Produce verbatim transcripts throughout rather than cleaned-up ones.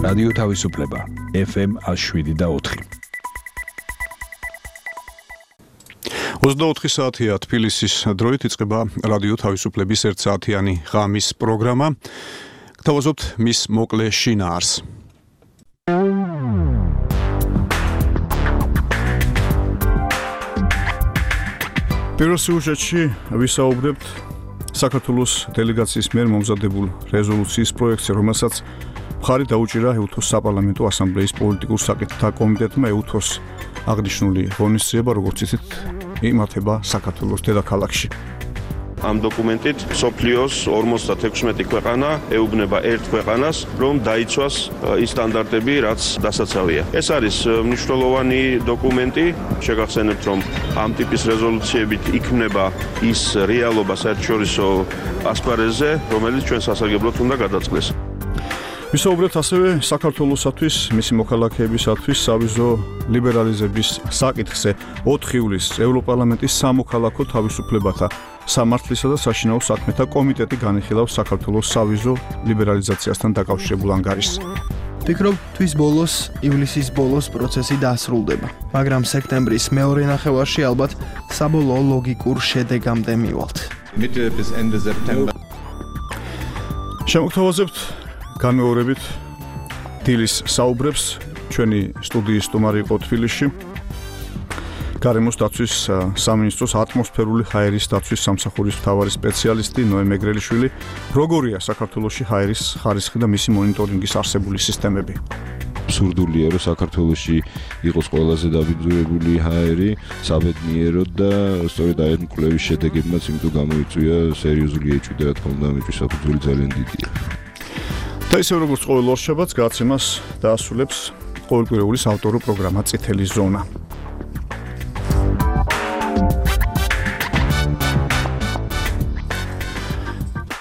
რადიო თავისუფლება ეფ ემ შვიდი და ოთხი. ოცდაოთხი საათია თბილისის დროით იწყება რადიო თავისუფლების ერთ საათიანი ღამის პროგრამა. გთავაზობთ მის მოკლე შინაარს. პირველ სიუჟეტში ვისაუბრებთ საქართველოს დელეგაციის მიერ მომზადებულ რეზოლუციის პროექტზე, რომელსაც მხარი დაუჭირა ეუთოს საპარლამენტო ასამბლეის პოლიტიკურ საკითხთა კომიტეტმა. ეუთოს აღნიშნული ღონისძიება, როგორც იცით, იმართება საქართველოს დედაქალაქში. ამ დოკუმენტით მსოფლიოს ორმოცდათექვსმეტი ქვეყანა ეუბნება ერთ ქვეყანას, რომ დაიცვას ის სტანდარტები, რაც დასაცავია. ეს არის მნიშვნელოვანი დოკუმენტი. შეგახსენებთ, რომ ამ ტიპის რეზოლუციებით იქმნება ის რეალობა საერთაშორისო ასპარეზზე, რომელიც ჩვენ სასარგებლოდ უნდა გადაწყდეს. ვისაუბრებთ ასევე საქართველოსათვის, მისი მოქალაქეებისათვის სავიზო ლიბერალიზების საკითხზე. ოთხი ივლისს ევროპარლამენტის სამოქალაქო თავისუფლებათა სამართლისა და საშინაო საქმეთა კომიტეტი განიხილავს საქართველოს სავიზო ლიბერალიზაციასთან დაკავშირებულ ანგარიშს. ვფიქრობ, თვის ბოლოს, ივლისის ბოლოს პროცესი დასრულდება, მაგრამ სექტემბრის მეორე ნახევარში ალბათ საბოლოო ლოგიკურ შედეგამდე მივალთ. შემოგთავაზებთ განმეორებით დილის საუბრებს. ჩვენი სტუდიის სტუმარი იყო თბილისში გარემოს დაცვის სამინისტროს ატმოსფერული ჰაერის დაცვის სამსახურის მთავარი სპეციალისტი ნოე მეგრელიშვილი. როგორია საქართველოში ჰაერის ხარისხი და მისი მონიტორინგის არსებული სისტემები? აბსურდულია, რომ საქართველოში იყოს ყველაზე დაბინძურებული ჰაერი, საბედნიეროდ და სწორედ აი ამ კვლევის შედეგებმაც იმიტომ გამოიწვია სერიოზული ეჭვი და რა თქმა უნდა მეჭვის საფუძველი ძალიან დიდია. და ისე როგორც ყოველ ორშაბათს გადაცემას დაასრულებს ყოველკვირეული საავტორო პროგრამა წითელი ზონა.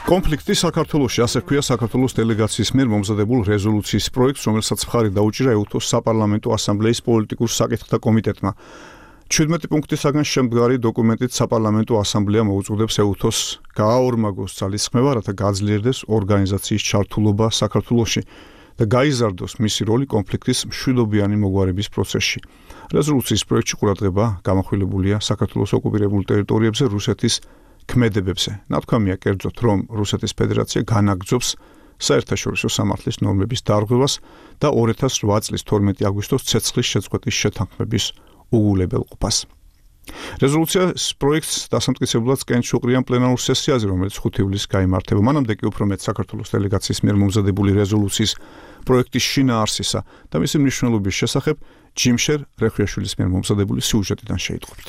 კონფლიქტი საქართველოში, ასე ქვია საქართველოს დელეგაციის მიერ მომზადებულ რეზოლუციის პროექტს, რომელსაც მხარი დაუჭირა ეუთოს საპარლამენტო ასამბლეის პოლიტიკურ საკითხთა კომიტეტმა. ჩვიდმეტი პუნქტისაგან შემდგარი დოკუმენტით საპარლამენტო ასამბლეა მოუწოდებს ეუთოს გააორმაგოს ძალისხმევა, რათა გაძლიერდეს ორგანიზაციის ჩართულობა საქართველოში და გაიზარდოს მისი როლი კონფლიქტის მშვიდობიანი მოგვარების პროცესში. რეზოლუციის პროექტში ყურადღება გამახვილებულია საქართველოს ოკუპირებულ ტერიტორიებზე რუსეთის ქმედებებზე. ნათქვამია კერძოდ, რომ რუსეთის ფედერაცია განაგრძობს საერთაშორისო სამართლის ნორმების დარღვევას და ორი ათას ოთხ წლის თორმეტი აგვისტოს ცეცხლის შეწყვეტის შეთანხმების უგულებელყოფას. რეზოლუციის პროექტს დასამტკიცებლად სკენს უყრიან პლენარულ სესიაზე, რომელიც ხუთი ივლისს გაიმართება. მანამდე კი უფრო მეტ საქართველოს დელეგაციის მიერ მომზადებული რეზოლუციის პროექტის შინაარსისა და მისი მნიშვნელობის შესახებ ჯიმშერ რეხვიაშვილის მიერ მომზადებული სიუჟეტიდან შეიტყობთ.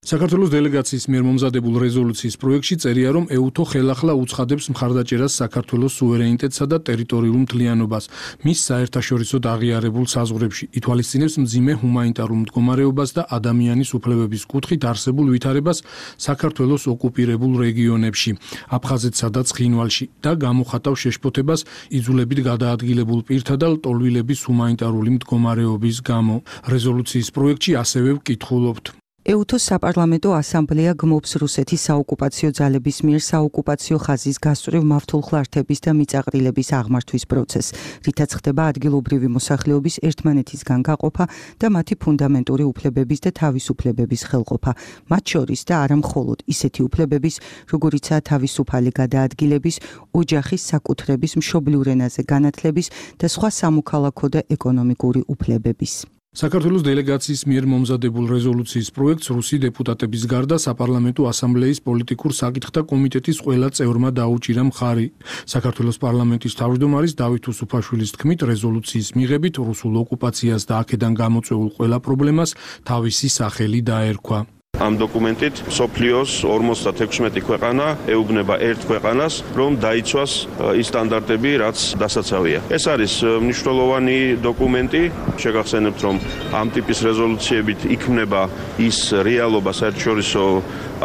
საქართველოს დელეგაციის მიერ მომზადებულ რეზოლუციის პროექტში წერია, რომ ეუთო ხელახლა უცხადებს მხარდაჭერას საქართველოს სუვერენიტეტსა და ტერიტორიულ მთლიანობას მის საერთაშორისოდ აღიარებულ საზღვრებში, ითვალისწინებს მძიმე ჰუმანიტარულ მდგომარეობას და ადამიანის უფლებების კუთხით არსებულ ვითარებას საქართველოს ოკუპირებულ რეგიონებში, აფხაზეთსა და ცხინვალში და გამოხატავს შეშფოთებას იძულებით გადაადგილებულ პირთა და ლტოლვილების ჰუმანიტარული მდგომარეობის გამო. რეზოლუციის პროექტში ასევე ვკითხულობთ. ეუთოს საპარლამენტო ასამბლეა გმობს რუსეთის საოკუპაციო ძალების მიერ საოკუპაციო ხაზის გასწვრივ მავთულხლართების და მიწაყრილების აღმართვის პროცესს, რითაც ხდება ადგილობრივი მოსახლეობის ერთმანეთისგან გაყოფა და მათი ფუნდამენტური უფლებების და თავისუფლებების ხელყოფა, მათ შორის და არა მხოლოდ ისეთი უფლებების, როგორიცაა თავისუფალი გადაადგილების, ოჯახის საკუთრების, მშობლიურ ენაზე განათლების და სხვა სამოქალაქო და ეკონომიკური უფლებების. საქართველოს დელეგაციის მიერ მომზადებულ რეზოლუციის პროექტს რუსი დეპუტატების გარდა საპარლამენტო ასამბლეის პოლიტიკურ საკითხთა კომიტეტის ყველა წევრმა დაუჭირა მხარი. საქართველოს პარლამენტის თავმჯდომარის დავით უსუფაშვილის თქმით, რეზოლუციის მიღებით რუსულ ოკუპაციას და აქედან გამოწვეულ ყველა პრობლემას თავისი სახელი დაერქვა. ამ დოკუმენტით მსოფლიოს ორმოცდათექვსმეტი ქვეყანა ეუბნება ერთ ქვეყანას, რომ დაიცვას ის სტანდარტები, რაც დასაცავია. ეს არის მნიშვნელოვანი დოკუმენტი. შეგახსენებთ, რომ ამ ტიპის რეზოლუციებით იქმნება ის რეალობა საერთაშორისო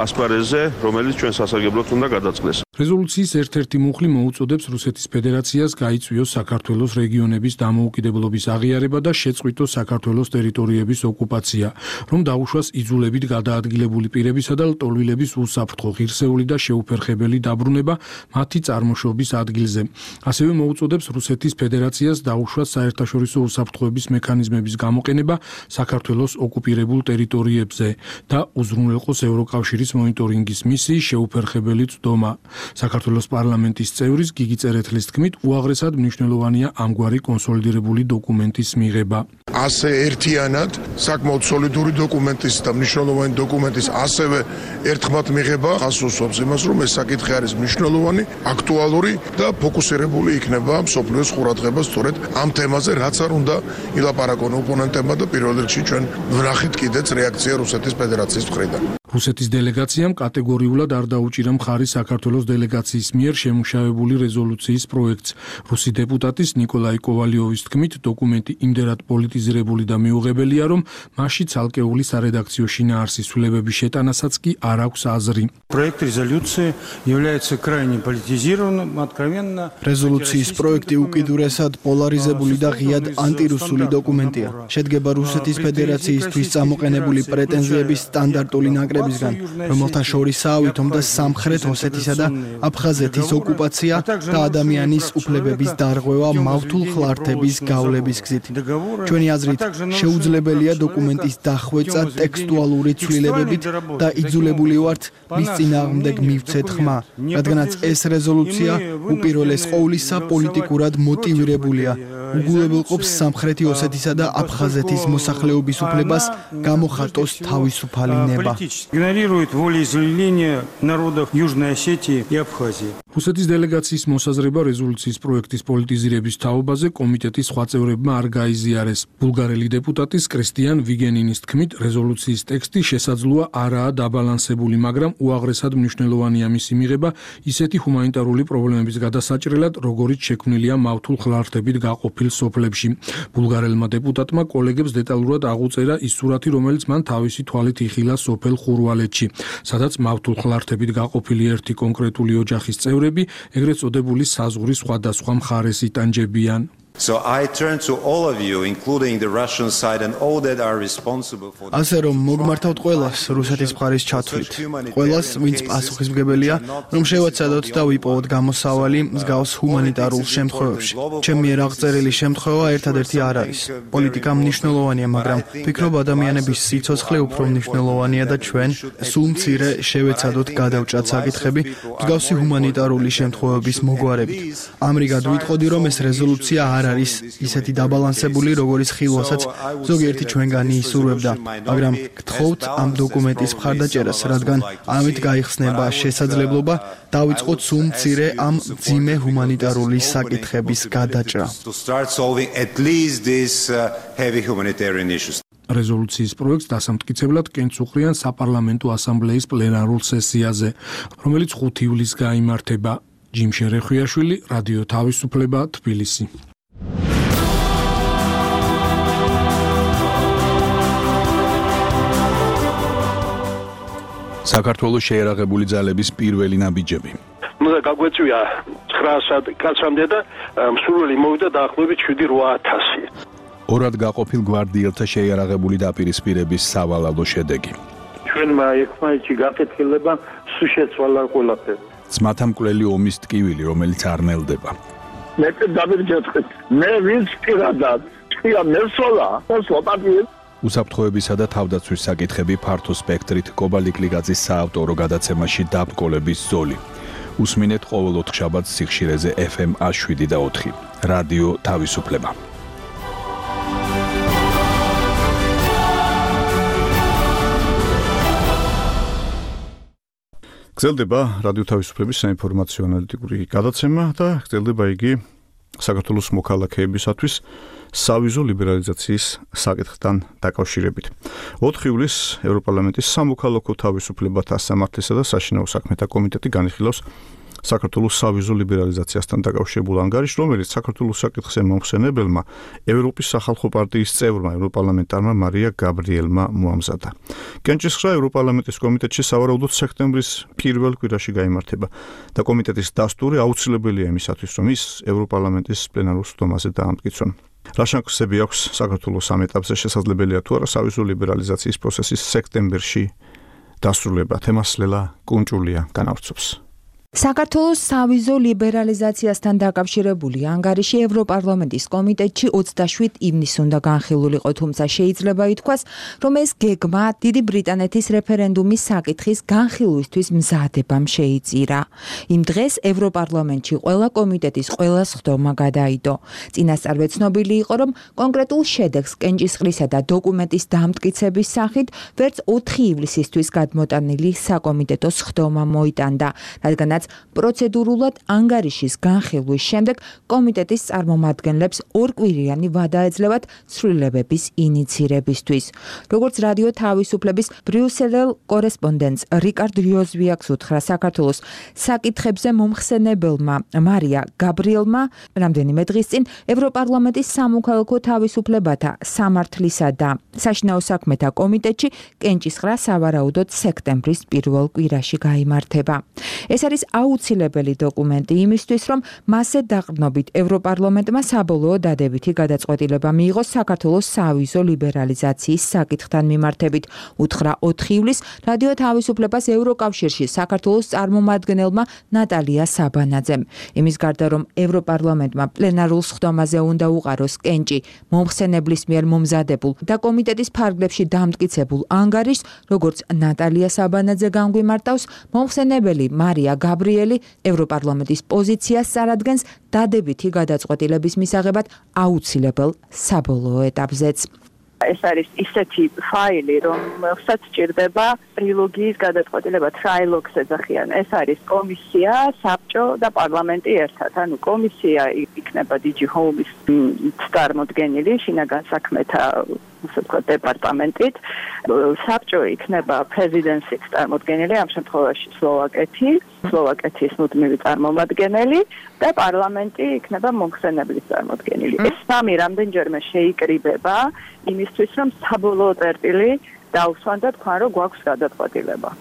ასპარეზზე, რომელიც ჩვენ სასარგებლოდ უნდა გადაწყდეს. რეზოლუციის ერთ-ერთი მუხლი მოუწოდებს რუსეთის ფედერაციას გაიწვიოს საქართველოს რეგიონების დამოუკიდებლობის აღიარება და შეწყვიტოს საქართველოს ტერიტორიების ოკუპაცია, რომ დაუშვას იძულებით გადაადგილებული პირებისა და ლტოლვილების უსაფრთხო, ღირსეული და შეუფერხებელი დაბრუნება მათი წარმოშობის ადგილზე. ასევე მოუწოდებს რუსეთის ფედერაციას დაუშვას საერთაშორისო უსაფრთხოების მექანიზმების გამოყენება საქართველოს ოკუპირებულ ტერიტორიებზე და უზრუნველყოს ევროკავშირის მონიტორინგის მისიის შეუფერხებელი წვდომა. საქართველოს პარლამენტის წევრის გიგი წერეთლის თქმით, უაღრესად მნიშვნელოვანია ამგვარი კონსოლიდირებული დოკუმენტის მიღება. ასე ერთიანად საკმაოდ სოლიდური დოკუმენტის და მნიშვნელოვანი დოკუმენტის ასევე ერთხმად მიღება ხასუსობს იმას, რომ ეს საკითხი არის მნიშვნელოვანი, აქტუალური და ფოკუსირებული იქნება მსოფლიოს ყურადღება სწორედ ამ თემაზე, რაც არ უნდა ილაპარაკონ ოპონენტებმა და პირველ რიგში ჩვენ ვნახეთ კიდეც რეაქცია რუსეთის ფედერაციის მხრიდან. რუსეთის დელეგაციამ კატეგორიულად არ დაუჭირა მხარი საქართველოს დელეგაციის მიერ შემუშავებული რეზოლუციის პროექტს. რუსი დეპუტატის ნიკოლაი კოვალიოვის თქმით, დოკუმენტი იმდენად პოლიტიზირებული და მიუღებელია, რომ მასში ცალკეული სარედაქციო შინაარსის ცვლილებების შეტანასაც კი არ აქვს აზრი. Проект резолюции является крайне политизированным, откровенно. რეზოლუციის პროექტი უკიდურესად პოლარიზებული და ღიად ანტირუსული დოკუმენტია. შედგება რუსეთის ფედერაციისთვის წამოყენებული პრეტენზიების სტანდარტული ნაკრებისგან, რომელთა შორისაა ვითომდა სამხრეთ ოსეთისა და აფხაზეთის ოკუპაცია და ადამიანის უფლებების დარღვევა მავთულ ხლართების გავლების გზით. ჩვენი აზრით, შეუძლებელია დოკუმენტის დახვეწა ტექსტუალური ცვლილებებით და იძულებული ვართ მის წინააღმდეგ მივცეთ ხმა, რადგანაც ეს რეზოლუცია უპირველეს ყოვლისა პოლიტიკურად მოტივირებულია. უგულებელყოფს სამხრეთი ოსეთისა და აფხაზეთის მოსახლეობის უფლებას გამოხატოს თავისუფალი ნება. Игнорирует волеизъявления народов Южной Осетии и Абхазии. რუსეთის დელეგაციის მოსაზრება რეზოლუციის პროექტის პოლიტიზირების თაობაზე კომიტეტის სხვა წევრებმა არ გაიზიარეს. ბულგარელი დეპუტატის კრისტიან ვიგენინის თქმით, რეზოლუციის ტექსტი შესაძლოა არაა დაბალანსებული, მაგრამ უაღრესად მნიშვნელოვანია მისი მიღება ისეთი ჰუმანიტარული პრობლემების გადასაჭრელად, როგორიც შექმნილია მავთულ ხლართებით გაყოფილ სოფლებში. ბულგარელმა დეპუტატმა კოლეგებს დეტალურად აღუწერა ის სურათი, რომელიც მან თავისი თვალით იხილა სოფელ ხურვალეთში, სადაც მავთულ ხლართებით გაყოფილი ერთი კონკრეტული ოჯახის წევრები ეგრეთ წოდებული საზღვრის სხვადასხვა მხარეს იტანჯებიან. So I turn to all of you, including the Russian side and all that are responsible for this. ასე რომ მოგმართავთ ყველას რუსეთის მხარის ჩათვლით. ყველას, ვინც პასუხისმგებელია, რომ შევაცადოთ და ვიპოვოთ გამოსავალი მსგავს ჰუმანიტარულ შემთხვევებში. ჩემი მიერ აღწერილი შემთხვევა ერთადერთი არ არის. პოლიტიკა მნიშვნელოვანია, მაგრამ ვფიქრობ ადამიანების სიცოცხლე უფრო მნიშვნელოვანია და ჩვენ სულ მცირე შევეცადოთ გადავჭრათ საკითხები მსგავსი ჰუმანიტარული შემთხვევების მოგვარებით. ამრიგად ვიტყოდი, რომ ეს რეზოლუცია არ არის ისეთი დაბალანსებული, როგორიც ხილვასაც ზოგიერთი ჩვენგანი ისურვებდა, მაგრამ გთხოვთ ამ დოკუმენტის მხარდაჭერას, რადგან ამით გაიხსნება შესაძლებლობა დავიწყოთ სულ მცირე ამ მძიმე ჰუმანიტარული საკითხების გადაჭრა. რეზოლუციის პროექტს დასამტკიცებლად კენც უყრიან საპარლამენტო ასამბლეის პლენარულ სესიაზე, რომელიც ხუთი ივლისს გაიმართება. ჯიმშენ რეხვიაშვილი, რადიო თავისუფლება, თბილისი. საქართველოს შეერაღებული ძალების პირველი ნაბიჯები. უნდა გაგვეწვია ცხრა კაცამდე და მსურველი მოვიდა დაახლოებით შვიდი რვა ათასი. ორად გაყოფილ გვარდიელთა შეიარაღებული დაპირისპირების სავალალო შედეგი. ჩვენმა ერთმანეთში გაკეთილება სულ შეცვალა ყველაფერი. ძმათა მკვლელი ომის ტკივილი, რომელიც არ ნელდება. მე დავირჯეთხეთ. მე ვინც პირადად თქვია მესოლა და სლოპატი უსაფრთხოებისა და თავდაცვის საკითხები ფართო სპექტრით კობალიკლიგაძის საავტორო გადაცემაში დაბკოლების ზოლი. უსმინეთ ყოველ ოთხშაბათს სიხშირეზე ეფ ემ შვიდი და ოთხი. რადიო თავისუფლება. გრძელდება რადიო თავისუფლების საინფორმაციო ანალიტიკური გადაცემა და გრძელდება იგი საქართველოს მოქალაქეებისათვის სავიზო ლიბერალიზაციის საკითხთან დაკავშირებით. ოთხი ივლისს ევროპარლამენტის სამოქალაქო თავისუფლებათა სამართლისა და საშინაო საქმეთა კომიტეტი განიხილავს საქართველოს სავიზო ლიბერალიზაციასთან დაკავშირებულ ანგარიშს, რომელიც საქართველოს საკითხზე მომხსენებელმა ევროპის სახალხო პარტიის წევრმა ევროპარლამენტარმა მარია გაბრიელმა მოამზადა. კენჭისყრა ევროპარლამენტის კომიტეტში სავარაუდოდ სექტემბრის პირველ კვირაში გაიმართება და კომიტეტის დასტური აუცილებელია იმისათვის, რომ ის ევროპარლამენტის პლენარულ სხდომაზე დაამტკიცონ. რა შანსები აქვს საქართველოს ამ ეტაპზე შესაძლებელია თუ არა სავიზო ლიბერალიზაციის პროცესის სექტემბერში დასრულება? თემას ლელა კუნჭულია განავრცობს. საქართველოს სავიზო ლიბერალიზაციასთან დაკავშირებული ანგარიში ევროპარლამენტის კომიტეტში ოცდაშვიდ ივნისს უნდა განხილულიყო, თუმცა შეიძლება ითქვას, რომ ეს გეგმა დიდი ბრიტანეთის რეფერენდუმის საკითხის განხილვისთვის მზადებამ შეიწირა. იმ დღეს ევროპარლამენტში ყველა კომიტეტის ყველა სხდომა გადაიდო. წინასწარვე ცნობილი იყო, რომ კონკრეტულ შედეგს კენჭისყრისა და დოკუმენტის დამტკიცების სახით ვერც ოთხი ივლისისთვის გადმოტანილი საკომიტეტო სხდომა მოიტანდა, რადგანაც პროცედურულად ანგარიშის განხილვის შემდეგ კომიტეტის წარმომადგენლებს ორკვირიანი ვადა ეძლევათ ცვლილებების ინიცირებისთვის. როგორც რადიო თავისუფლების ბრიუსელელ კორესპონდენტს რიკარდ რიოზვიაკს უთხრა საქართველოს საკითხებზე მომხსენებელმა მარია გაბრიელმა რამდენიმე დღის წინ ევროპარლამენტის სამოქალაქო თავისუფლებათა სამართლისა და საშინაო საქმეთა კომიტეტში კენჭისყრა სავარაუდოდ სექტემბრის პირველ კვირაში გაიმართება. ეს არის აუცილებელი დოკუმენტი იმისთვის, რომ მასზე დაყრდნობით ევროპარლამენტმა საბოლოო დადებითი გადაწყვეტილება მიიღოს საქართველოს სავიზო ლიბერალიზაციის საკითხთან მიმართებით, უთხრა ოთხი ივლისს რადიო თავისუფლებას ევროკავშირში საქართველოს წარმომადგენელმა ნატალია საბანაძემ. იმის გარდა, რომ ევროპარლამენტმა პლენარულ სხდომაზე უნდა უყაროს კენჭი მომხსენებლის მიერ მომზადებულ და კომიტეტის ფარგლებში დამტკიცებულ ანგარიშს, როგორც ნატალია საბანაძე განგვიმარტავს, მომხსენებელი მარია გაბრიელი ევროპარლამენტის პოზიციას წარადგენს დადებითი გადაწყვეტილების მისაღებად აუცილებელ საბოლოო ეტაპზეც. ეს არის ისეთი ფაილი, რომელსაც ჭირდება ტრილოგიის გადაწყვეტილება, ტრაილოგს ეძახიან. ეს არის კომისია, საბჭო და პარლამენტი ერთად. ანუ კომისია იქნება დიჯი ჰოუმის წარმომადგენელი, შინაგან საქმეთა ასე ვთქვათ დეპარტამენტით, საბჭო იქნება პრეზიდენციის წარმომადგენელი, ამ შემთხვევაში სლოვაკეთი, სლოვაკეთის მუდმივი წარმომადგენელი და პარლამენტი იქნება მომხსენებლის წარმომადგენელი. ეს სამი რამდენჯერმე შეიკრიბება იმისთვის, რომ საბოლოო წერტილი დაუსვან და თქვან, რომ გვაქვს გადაწყვეტილება.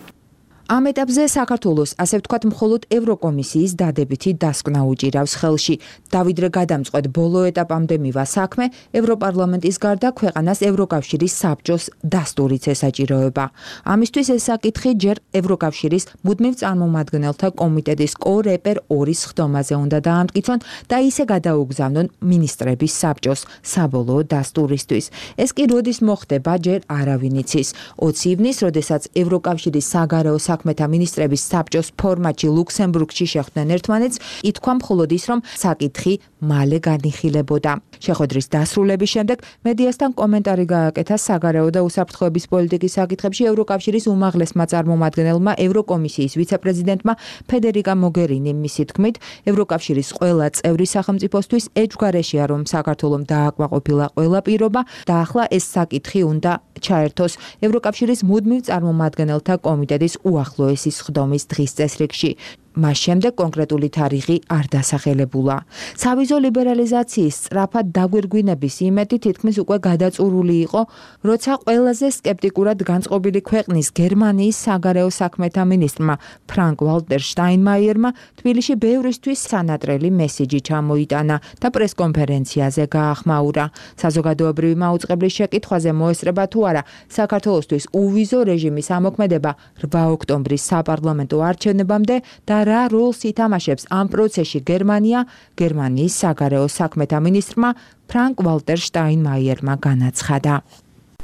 ამ ეტაპზე საქართველოს, ასე ვთქვათ, მხოლოდ ევროკომისიის დადებითი დასკვნა უჭირავს ხელში. დავიდრე გადამწყვეტ ბოლო ეტაპამდე მივა საქმე, ევროპარლამენტის გარდა ქვეყანას ევროკავშირის საბჭოს დასტურიც ესაჭიროება. ამისთვის ეს საკითხი ჯერ ევროკავშირის მუდმივ წარმომადგენელთა კომიტეტის კორეპერ ორი სხდომაზე უნდა დაამტკიცონ და ისე გადაუგზავნონ მინისტრების საბჭოს საბოლოო დასტურისთვის. ეს კი როდის მოხდება, ჯერ არავინ იცის. ოცი ივნისს, როდესაც ევროკავშირის საგარეო საქმეთა მინისტრების საბჭოს ფორმატში ლუქსემბურგში შეხვდნენ ერთმანეთს, ითქვა მხოლოდ ის, რომ საკითხი მალე განიხილებოდა. შეხვედრის დასრულების შემდეგ მედიასთან კომენტარი გააკეთა საგარეო და უსაფრთხოების პოლიტიკის საკითხებში ევროკავშირის უმაღლესმა წარმომადგენელმა ევროკომისიის ვიცე-პრეზიდენტმა ფედერიკა მოგერინიმ. მისი თქმით, ევროკავშირის ყველა წევრი სახელმწიფოსთვის ეჭვგარეშეა, რომ საქართველომ დააკმაყოფილა ყველა პირობა და ახლა ეს საკითხი უნდა ჩაერთოს ევროკავშირის მუდმივ წარმომადგენელთა კომიტეტის უახლოესი სხდომის დღის წესრიგში. მას შემდეგ კონკრეტული თარიღი არ დასახელებულა. სავიზო ლიბერალიზაციის სწრაფად დაგვირგვინების იმედი თითქმის უკვე გადაწურული იყო, როცა ყველაზე სკეპტიკურად განწყობილი ქვეყნის გერმანიის საგარეო საქმეთა მინისტრმა ფრანკ ვალტერ შტაინმაიერმა თბილისში ბევრისთვის სანატრელი მესიჯი ჩამოიტანა და პრესკონფერენციაზე გაახმაურა. საზოგადოებრივი მაუწყებლის შეკითხვაზე მოესწრება თუ არა საქართველოსთვის უვიზო რეჟიმის ამოქმედება რვა ოქტომბრის საპარლამენტო არჩევნებამდე და რა როლს ითამაშებს ამ პროცესში გერმანია, გერმანიის საგარეო საქმეთა მინისტრმა ფრანკ ვალტერ შტაინმაიერმა განაცხადა.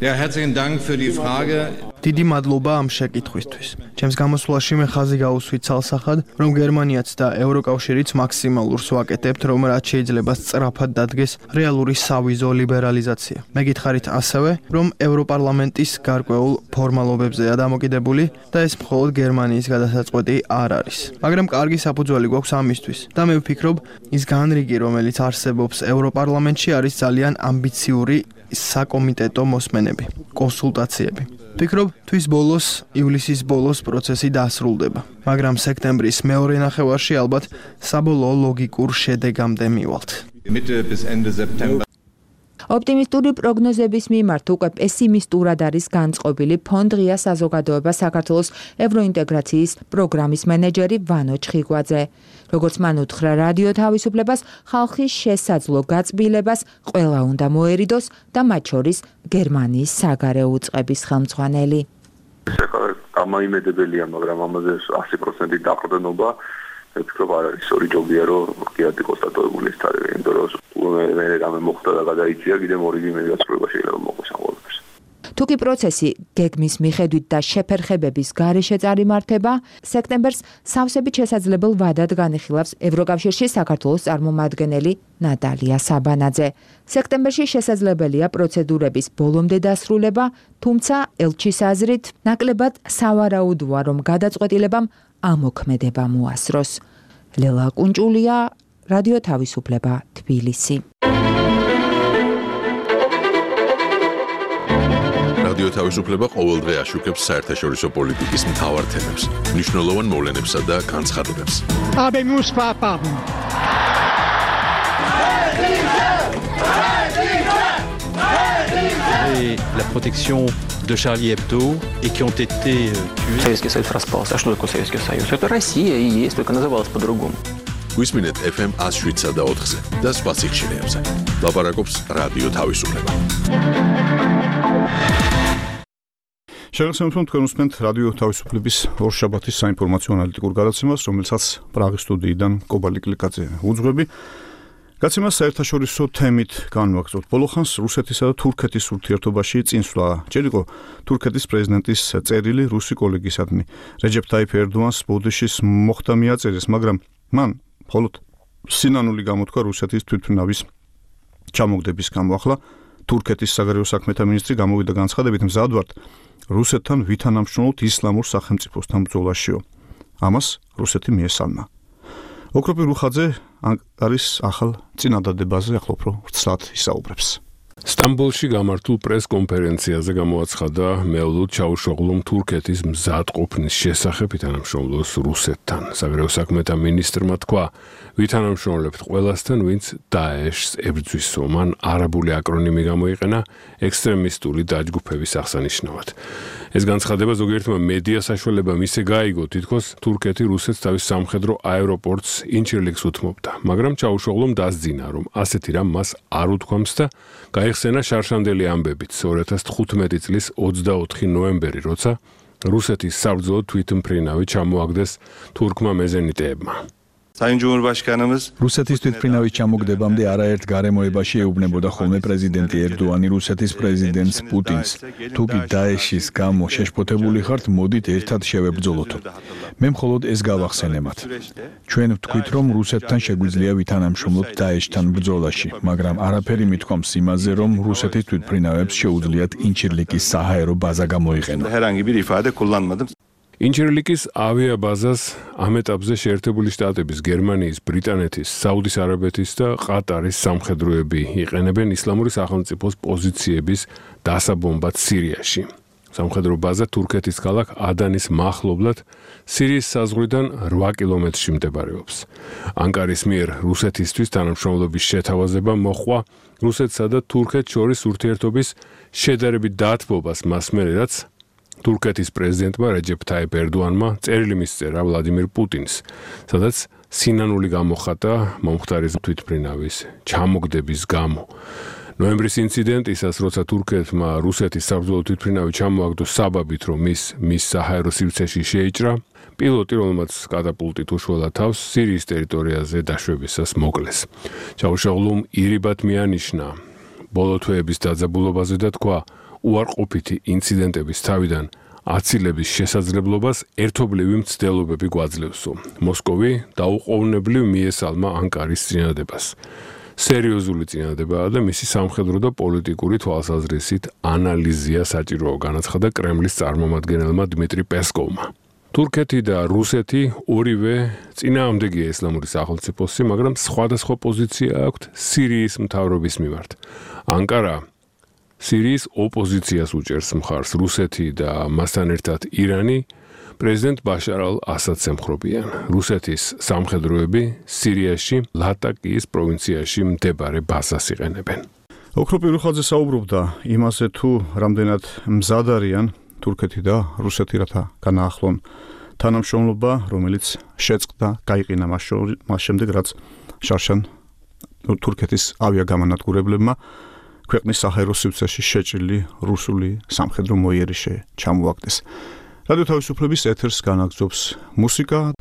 Ja, herzlichen Dank für die Frage. დიდი მადლობა ამ შეკითხვისთვის. ჩემს გამოსვლაში მე ხაზი გაუსვით ცალსახად, რომ გერმანიაც და ევროკავშირიც მაქსიმალურს ვაკეთებთ, რომ რაც შეიძლება სწრაფად დადგეს რეალური სავიზო ლიბერალიზაცია. მე გითხარით ასევე, რომ ევროპარლამენტის გარკვეულ ფორმალობებზეა დამოკიდებული და ეს მხოლოდ გერმანიის გადასაწყვეტი არ არის. მაგრამ კარგი საფუძველი გვაქვს ამისთვის და მე ვფიქრობ, ის განრიგი, რომელიც არსებობს ევროპარლამენტში არის ძალიან ამბიციური საკომიტეტო მოსმენები, კონსულტაციები. ვფიქრობ, თვის ბოლოს, ივლისის ბოლოს პროცესი დასრულდება, მაგრამ სექტემბრის მეორე ნახევარში ალბათ საბოლოო ლოგიკურ შედეგამდე მივალთ. ოპტიმისტური პროგნოზების მიმართ უკვე პესიმისტურად არის განწყობილი ფონდ ღია საზოგადოება საქართველოს ევროინტეგრაციის პროგრამის მენეჯერი ვანო ჩხიგვაძე. როგორც მან უთხრა რადიო თავისუფლებას, ხალხის შესაძლო გაწბილებას ყველა უნდა მოერიდოს და მათ შორის გერმანიის საგარეო უწყების ხელმძღვანელი. გამოიმედებელია, მაგრამ ამაზე ასი პროცენტი დაყრდნობა ვფიქრობ არ არის ორი ჯობია რომ კიდე კონსტატებული ის თარიღი, იმიტომ რომ მე რამე მოხდა და გადაიწია კიდე მორიგი მედიაცრუება შეიძლება მოყოს ამ ყველაფერს. თუკი პროცესი გეგმის მიხედვით და შეფერხებების გარეშე წარიმართება, სექტემბერს სავსებით შესაძლებელ ვადად განიხილავს ევროკავშირში საქართველოს წარმომადგენელი ნატალია საბანაძე. სექტემბერში შესაძლებელია პროცედურების ბოლომდე დასრულება, თუმცა ელჩის აზრით ნაკლებად სავარაუდოა, რომ გადაწყვეტილებამ ამოქმედება მოასროს. ლელა კუნჭულია, რადიო თავისუფლება, თბილისი. რადიო თავისუფლება ყოველდღე აშუქებს საერთაშორისო პოლიტიკის მთავარ თემებს, მნიშვნელოვან მოვლენებსა და განცხადებებს. La protection de Charlie Hebdo et qui ont été tués. Советский Союз распался. А что такое Советский Союз? Это Россия и есть, только называлась по-другому. გვისმინეთ эф эм one oh seven და ოთხზე და სხვა სიხშირეებზე. ლაპარაკობს რადიო თავისუფლება. შეგახსენებთ, რომ თქვენ უსმენთ რადიო თავისუფლების ორშაბათის საინფორმაციო ანალიტიკურ გადაცემას, რომელსაც პრაღის სტუდიიდან კობალი კლიკაძე უძღვები. გაცემას საერთაშორისო თემით განვაგრძობთ. ბოლოხანს რუსეთისა და თურქეთის ურთიერთობაში წინსვლა. ჯერ იყო თურქეთის პრეზიდენტის წერილი რუსი კოლეგისადმი. რეჯეფ ტაიფ ერდოანს ბოდიშის მოხდა მიაწერეს, მაგრამ მან მხოლოდ სინანული გამოთქვა რუსეთის თვითმფრინავის ჩამოგდების გამო. ახლა თურქეთის საგარეო საქმეთა მინისტრი გამოვიდა განცხადებით, მზად ვართ რუსეთთან ვითანამშრომლოთ ისლამურ სახელმწიფოსთან ბრძოლაშიო. ამას რუსეთი მიესალმა. ოქროპი რუხაძე არის ახალ წინადადებაზე, ახლა უფრო ვრცლად ისაუბრებს. სტამბოლში გამართულ პრეს-კონფერენციაზე გამოაცხადა მეულუდ ჩაუშოღლუმ თურქეთის მზადყოფნის შესახებ ვითანამშრომლოს რუსეთთან. საგარეო საქმეთა მინისტრმა თქვა, ვითანამშრომლებთ ყველასთან, ვინც დაეშს ებრძვისო. მან არაბული აკრონიმი გამოიყენა ექსტრემისტული დაჯგუფების აღსანიშნავად. ეს განცხადება ზოგიერთმა მედია საშუალებამ ისე გაიგო, თითქოს თურქეთი რუსეთს თავის სამხედრო აეროპორტს ინჩირლიქს უთმობდა, მაგრამ ჩაუშოღლუმ დასძინა, რომ ასეთი რამ მას არ უთქვამს და გაიხსენა შარშანდელი ამბებიც ორი ათას თხუთმეტი წლის ოცდაოთხი ნოემბერი, როცა რუსეთის საბრძოლო თვითმფრინავი ჩამოაგდეს თურქმა მეზენიტეებმა. რუსეთის თვითმფრინავის ჩამოგდებამდე არაერთ გარემოებაში ეუბნებოდა ხოლმე პრეზიდენტი ერდოანი რუსეთის პრეზიდენტს პუტინს. თუ კი დაეშის გამო შეშფოთებული ხართ, მოდით ერთად შევებრძოლოთ. მე მხოლოდ ეს გავახსენებათ. ჩვენ ვთქვით, რომ რუსეთთან შეგვიძლია ვითანამშრომლოთ დაეშთან ბრძოლაში, მაგრამ არაფერი მithქვამს იმაზე, რომ რუსეთის თვითმფრინავებს შეუძლიათ ინჩირლიკის საჰაერო ბაზა გამოიყენონ. ინჩირლიკის ავიაბაზას ამ ეტაპზე შეერთებული შტატების, გერმანიის, ბრიტანეთის, საუდის არაბეთის და ყატარის სამხედროები იყენებენ ისლამური სახელმწიფოს პოზიციების დასაბომბად სირიაში. სამხედრო ბაზა თურქეთის ქალაქ ადანის მახლობლად სირიის საზღვრიდან რვა კილომეტრში მდებარეობს. ანკარის მიერ რუსეთისთვის თანამშრომლობის შეთავაზება მოჰყვა რუსეთსა და თურქეთს შორის ურთიერთობის შედარებით დათბობას მას მერე, რაც თურქეთის პრეზიდენტმა რეჯეფ ტაიფ ერდოანმა წერილი მისწერა ვლადიმირ პუტინს, სადაც სინანული გამოხატა მომხდარის თვითმფრინავის ჩამოგდების გამო. ნოემბრის ინციდენტისას, როცა თურქეთმა რუსეთის საბრძოლო თვითმფრინავი ჩამოაგდო საბაბით, რომ ის მის საჰაერო სივრცეში შეიჭრა, პილოტი, რომელმაც კატაპულტით უშველა თავს, სირიის ტერიტორიაზე დაშვებისას მოკლეს. ჩაუშოღლუმ ირიბად მიანიშნა ბოლო თვეების დაძაბულობაზე და თქვა, უარყოფითი ინციდენტების თავიდან აცილების შესაძლებლობას ერთობლივი მცდელობები გვაძლევსო. მოსკოვი დაუყოვნებლივ მიესალმა ანკარის წინადებას. სერიოზული წინადებაა და მისი სამხედრო და პოლიტიკური თვალსაზრისით ანალიზია საჭიროა, განაცხადა კრემლის წარმომადგენელმა დმიტრი პესკოვმა. თურქეთი და რუსეთი ორივე წინააღმდეგია ისლამური სახელმწიფოსი, მაგრამ სხვადასხვა პოზიცია აქვთ სირიის მთავრობის მიმართ. ანკარა სირიის ოპოზიციას უჭერს მხარს რუსეთი და მასთან ერთად ირანი პრეზიდენტ ბაშარ ალ-ასადს ემხრობიან. რუსეთის სამხედროები სირიაში ლატაკიის პროვინციაში მდებარე ბაზას იყენებენ. ოქრო პირუხაძე საუბრობდა იმაზე თუ რამდენად მზად არიან თურქეთი და რუსეთი რათა განაახლონ თანამშრომლობა, რომელიც შეწყდა, გაიყინა მას შემდეგ, რაც შარშან თურქეთის ავიაგამანადგურებლებმა ქვეყნის საჰაერო სივრცეში შეჭრილი რუსული სამხედრო მოიერიშე ჩამოაგდეს. რადიო თავისუფლების ეთერს განაგრძობს მუსიკა.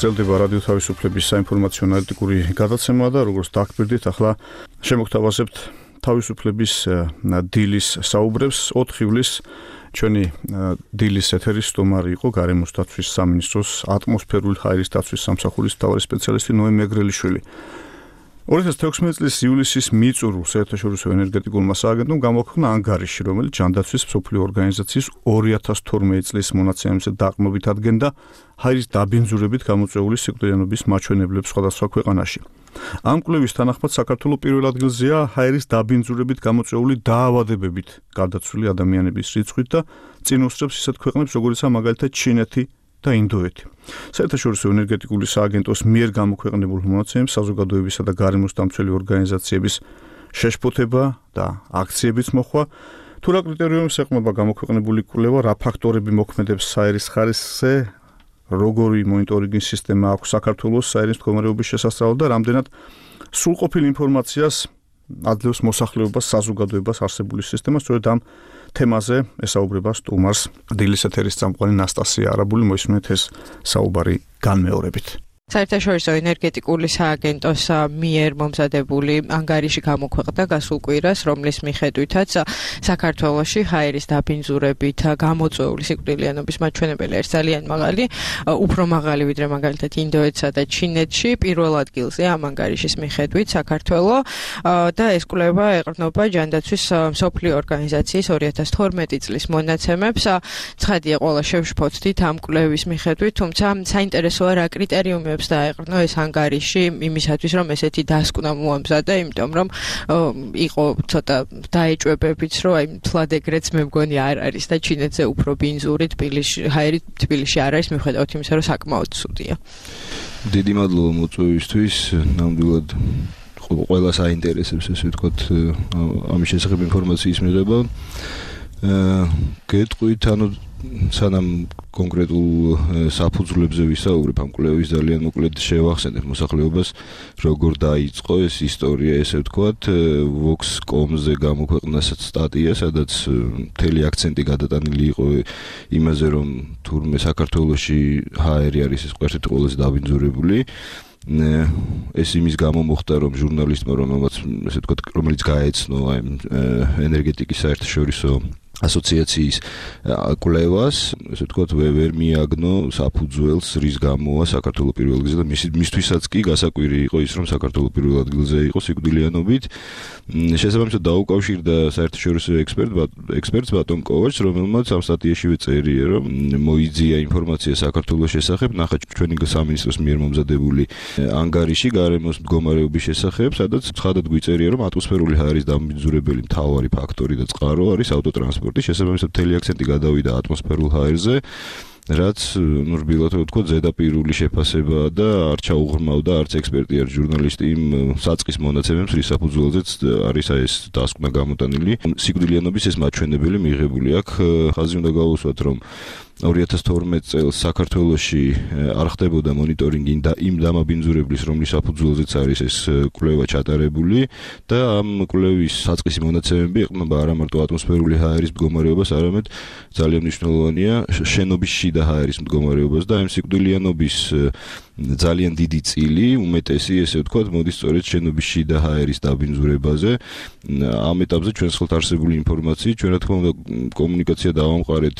გრძელდება რადიო თავისუფლების საინფორმაციო ანალიტიკური გადაცემა და როგორც დაგკვირდით, ახლა შემოგთავაზებთ თავისუფლების დილის საუბრებს. ოთხ ივლისს ჩვენი დილის ეთერის სტუმარი იყო გარემოს დაცვის სამინისტროს ატმოსფერული ჰაერის დაცვის სამსახურის მთავარი სპეციალისტი ნოე მეგრელიშვილი. ორი ათას თექვსმეტი წლის ივლისის მიწურულ საერთაშორისო ენერგეტიკულმა სააგენტომ გამოაქვეყნა ანგარიში, რომელიც ჯანდაცვის მსოფლიო ორგანიზაციის ორი ათას თორმეტი წლის მონაცემებზე დაყრდნობით ადგენდა ჰაერის დაბინძურებით გამოწვეული სიკვდილიანობის მაჩვენებლებს სხვადასხვა ქვეყანაში. ამ კვლევის თანახმად საქართველოს პირველ ადგილზეა ჰაერის დაბინძურებით გამოწვეული დაავადებებით გარდაცვლილი ადამიანების რიცხვით და წინ უსწრებს ისეთ ქვეყნებს, როგორიცაა მაგალითად ჩინეთი და ინდოეთი. საერთაშორისო ენერგეტიკული სააგენტოს მიერ გამოქვეყნებულ მონაცემებს საზოგადოებისა და გარემოს დამცველი ორგანიზაციების შეშფოთება და აქციებიც მოხვა. თუ რა კრიტერიუმებს ეყრდნობა გამოქვეყნებული კვლევა, რა ფაქტორები მოქმედებს ჰაერის ხარისხზე, როგორი მონიტორინგის სისტემა აქვს საქართველოს ჰაერის მდგომარეობის შესასწავლად და რამდენად სრულყოფილ ინფორმაციას ადლევს მოსახლეობას საზოგადოებას არსებული სისტემა. სწორედ ამ თემაზე ესაუბრება სტუმარს დილის ეთერის წამყვანი ნასტასია არაბული. მოისმენთ ეს საუბარი განმეორებით. საერთაშორისო ენერგეტიკული სააგენტოს მიერ მომზადებული ანგარიში გამოქვეყნდა გასულ კვირას, რომლის მიხედვითაც საქართველოში ჰაერის დაბინძურებით გამოწვეული სიკვდილიანობის მაჩვენებელი არის ძალიან მაღალი, უფრო მაღალი ვიდრე მაგალითად ინდოეთსა და ჩინეთში. პირველ ადგილზე ამ ანგარიშის მიხედვით საქართველო და ეს კვლევა ეყრდნობა ჯანდაცვის მსოფლიო ორგანიზაციის ორი ათას თორმეტი წლის მონაცემებს. ცხადია, ყველა შევშფოთდით ამ კვლევის მიხედვით, თუმცა საინტერესოა რა კრიტერიუმი დაეყრდნო ეს ანგარიში იმისათვის, რომ ესეთი დასკვნა მოამზადა, იმიტომ რომ იყო ცოტა დაეჭვებებიც, რომ აი თლად ეგრეც მე მგონი არ არის და ჩინეთზე უფრო ბინძური თბილისში, ჰაერი თბილისში არ არის, მიუხედავად იმისა, რომ საკმაოდ ცუდია. დიდი მადლობა მოწვევისთვის, ნამდვილად ყველა საინტერესებს, ესე ვთქვათ, ამის შესახებ ინფორმაციის მიღება. გეტყვით, ანუ სანამ კონკრეტულ საფუძვლებზე ვისაუბრებ, ამ კვლევის ძალიან მოკლედ შევახსენებ მოსახლეობას, როგორ დაიწყო ეს ისტორია, ესე ვთქვათ, vox kropka com-ზე გამოქვეყნდა სტატია, სადაც მთელი აქცენტი გადატანილი იყო იმაზე, რომ თურმე საქართველოში ჰაერი არის ეს ერთ-ერთი ყველაზე დაბინძურებული. ეს იმის გამო მოხდა, რომ ჟურნალისტმა, რომელმაც ესე ვთქვათ, რომელიც გაეცნო აი ენერგეტიკის საერთაშორისო ასოციაციის კვლევას, ესე ვთქვათ, ვერ მიაგნო საფუძველს, რის გამოა საქართველოს პირველ ადგილზე და მისთვისაც კი გასაკვირი იყო ის, რომ საქართველოს პირველ ადგილზე იყო სიკვდილიანობით. შესაბამისად დაუკავშირდა საერთაშორისო ექსპერტ ექსპერტს ბატონ კოვაჩს, რომელმაც ამ სტატიაშივე წერია, რომ მოიძია ინფორმაცია საქართველოს შესახებ, ნახეთ ჩვენი სამინისტროს მიერ მომზადებული ანგარიში გარემოს მდგომარეობის შესახებ, სადაც ცხადად გვიწერია, რომ ატმოსფერული ჰაერის დაბინძურებელი მთავარი ფაქტორი და წყარო არის ავტოტრანსპორტი. შესაბამისად მთელი აქცენტი გადავიდა ატმოსფერულ ჰაერზე, რაც ნუ რბილად ვთქვათ, ზედაპირული შეფასება და არ ჩაუღრმავდა არც ექსპერტი, არც ჟურნალისტი იმ საწყის მონაცემებს, რის საფუძველზეც არის ეს დასკვნა გამოტანილი. სიკვდილიანობის ეს მაჩვენებელი მიღებული აქვს. ხაზი უნდა გავუსვათ, რომ ორი ათას თორმეტი წელს საქართველოში არ ხდებოდა მონიტორინგი იმ დამაბინძურებლის, რომლის საფუძველზეც არის ეს კვლევა ჩატარებული და ამ კვლევის საწყისი მონაცემები ეყრდნობა არა მარტო ატმოსფერული ჰაერის მდგომარეობას, არამედ ძალიან მნიშვნელოვანია შენობის შიდა ჰაერის მდგომარეობას და ამ სიკვდილიანობის ძალიან დიდი წილი, უმეტესი, ესე ვთქვათ, მოდის სწორედ შენობის შიდა ჰაერის დაბინძურებაზე. ამ ეტაპზე ჩვენს ხელთ არსებული ინფორმაციით, ჩვენ რა თქმა უნდა კომუნიკაცია დავამყარეთ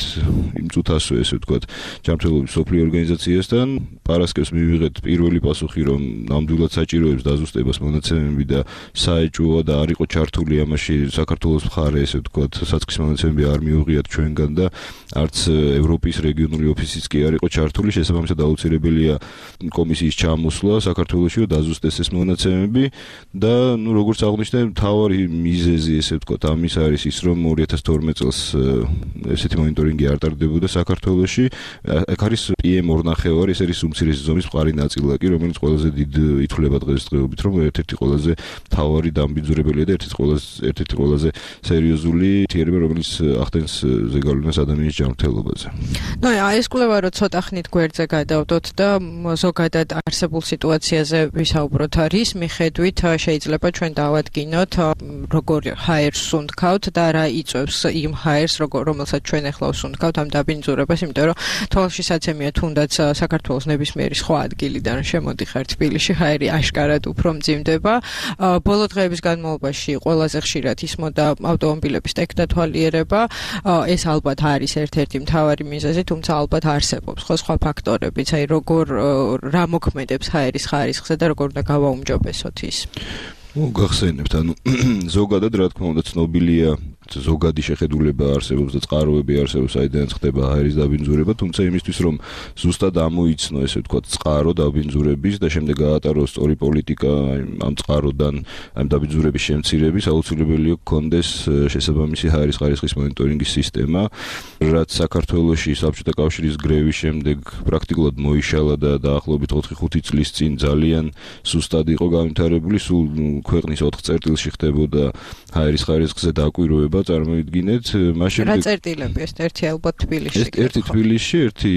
იმ წუთასვე, ესე ვთქვათ, ჯანმრთელობის მსოფლიო ორგანიზაციასთან. პარასკევს მივიღეთ პირველი პასუხი, რომ ნამდვილად საჭიროებს დაზუსტებას მონაცემები და საეჭვოა და არ იყო ჩართული ამაში საქართველოს მხარე, ესე ვთქვათ, საწყის მონაცემები არ მიუღიათ ჩვენგან და არც ევროპის რეგიონული ოფისიც კი არ იყო ჩართული, შესაბამისად აუცილებელია კომისიის ჩამოსვლა საქართველოში დაზუსტეს ეს მონაცემები და ნუ როგორც აღნიშნე, მთავარი მიზეზი, ესე ვთქვათ, ამის არის ის, რომ ორი ათას თორმეტი წელს ესეთი მონიტორინგი არ ტარდებოდა საქართველოში. აქ არის პი ემ ორი ნახევარი, ეს არის უმცირესი ზომის მყარი ნაწილაკი, რომელიც ყველაზე დიდ ითვლება დღესდღეობით, რომ ერთ-ერთი ყველაზე მთავარი დამბინძურებელია და ერთ-ერთი ყველაზე ერთ-ერთი ყველაზე სერიოზული თერმი, რომელიც ახდენს ზეგავლენას ადამიანის ჯანმრთელობაზე. ნუ აი ეს კვლევა რო ცოტა ხნით გვერდზე გადავდოთ და ზოგადად არსებულ სიტუაციაზე ვისაუბროთ, რის მიხედვით შეიძლება ჩვენ დავადგინოთ, როგორ ჰაერს სუნთქავთ და რა იწვევს იმ ჰაერს, რომელსაც ჩვენ ახლა ვსუნთქავთ ამ დაბინძურებას, იმიტომ რომ თვალშისაცემია თუნდაც საქართველოს ნებისმიერი სხვა ადგილიდან შემოდიხარ თბილისში, ჰაერი აშკარად უფრო მძიმდება. ბოლო დღეების განმავლობაში ყველაზე ხშირად ისმოდა ავტომობილების ტექნათვალიერება. ეს ალბათ არის ერთ-ერთი მთავარი მიზეზი, თუმცა ალბათ არსებობს სხვა სხვა ფაქტორებიც, აი როგორ რა მოქმედებს ჰაერის ხარისხზე და როგორ უნდა გავაუმჯობესოთ ის. ნუ გახსენებთ, ანუ ზოგადად რა თქმა უნდა ცნობილია ზოგადი შეხედულება არსებობს და წყაროები არსებობს, საიდანაც ხდება ჰაერის დაბინძურება, თუმცა იმისთვის, რომ ზუსტად ამოიცნო, ესე ვთქვათ, წყარო დაბინძურების და შემდეგ გაატაროს სწორი პოლიტიკა ამ წყაროდან, ამ დაბინძურების შემცირების, აუცილებელია გქონდეს შესაბამისი ჰაერის ხარისხის მონიტორინგის სისტემა, რაც საქართველოში საბჭოთა კავშირის გრევის შემდეგ პრაქტიკულად მოიშალა და დაახლოებით ოთხი ხუთი წლის წინ ძალიან სუსტად იყო განვითარებული, სულ ქვეყნის ოთხ წერტილში ხდებოდა ჰაერის ხარისხზე დაკვირვება. წარმოიდგინეთ, მაშინ რა წერტილები ეს ერთი ალბათ თბილისში. ეს ერთი თბილისში, ერთი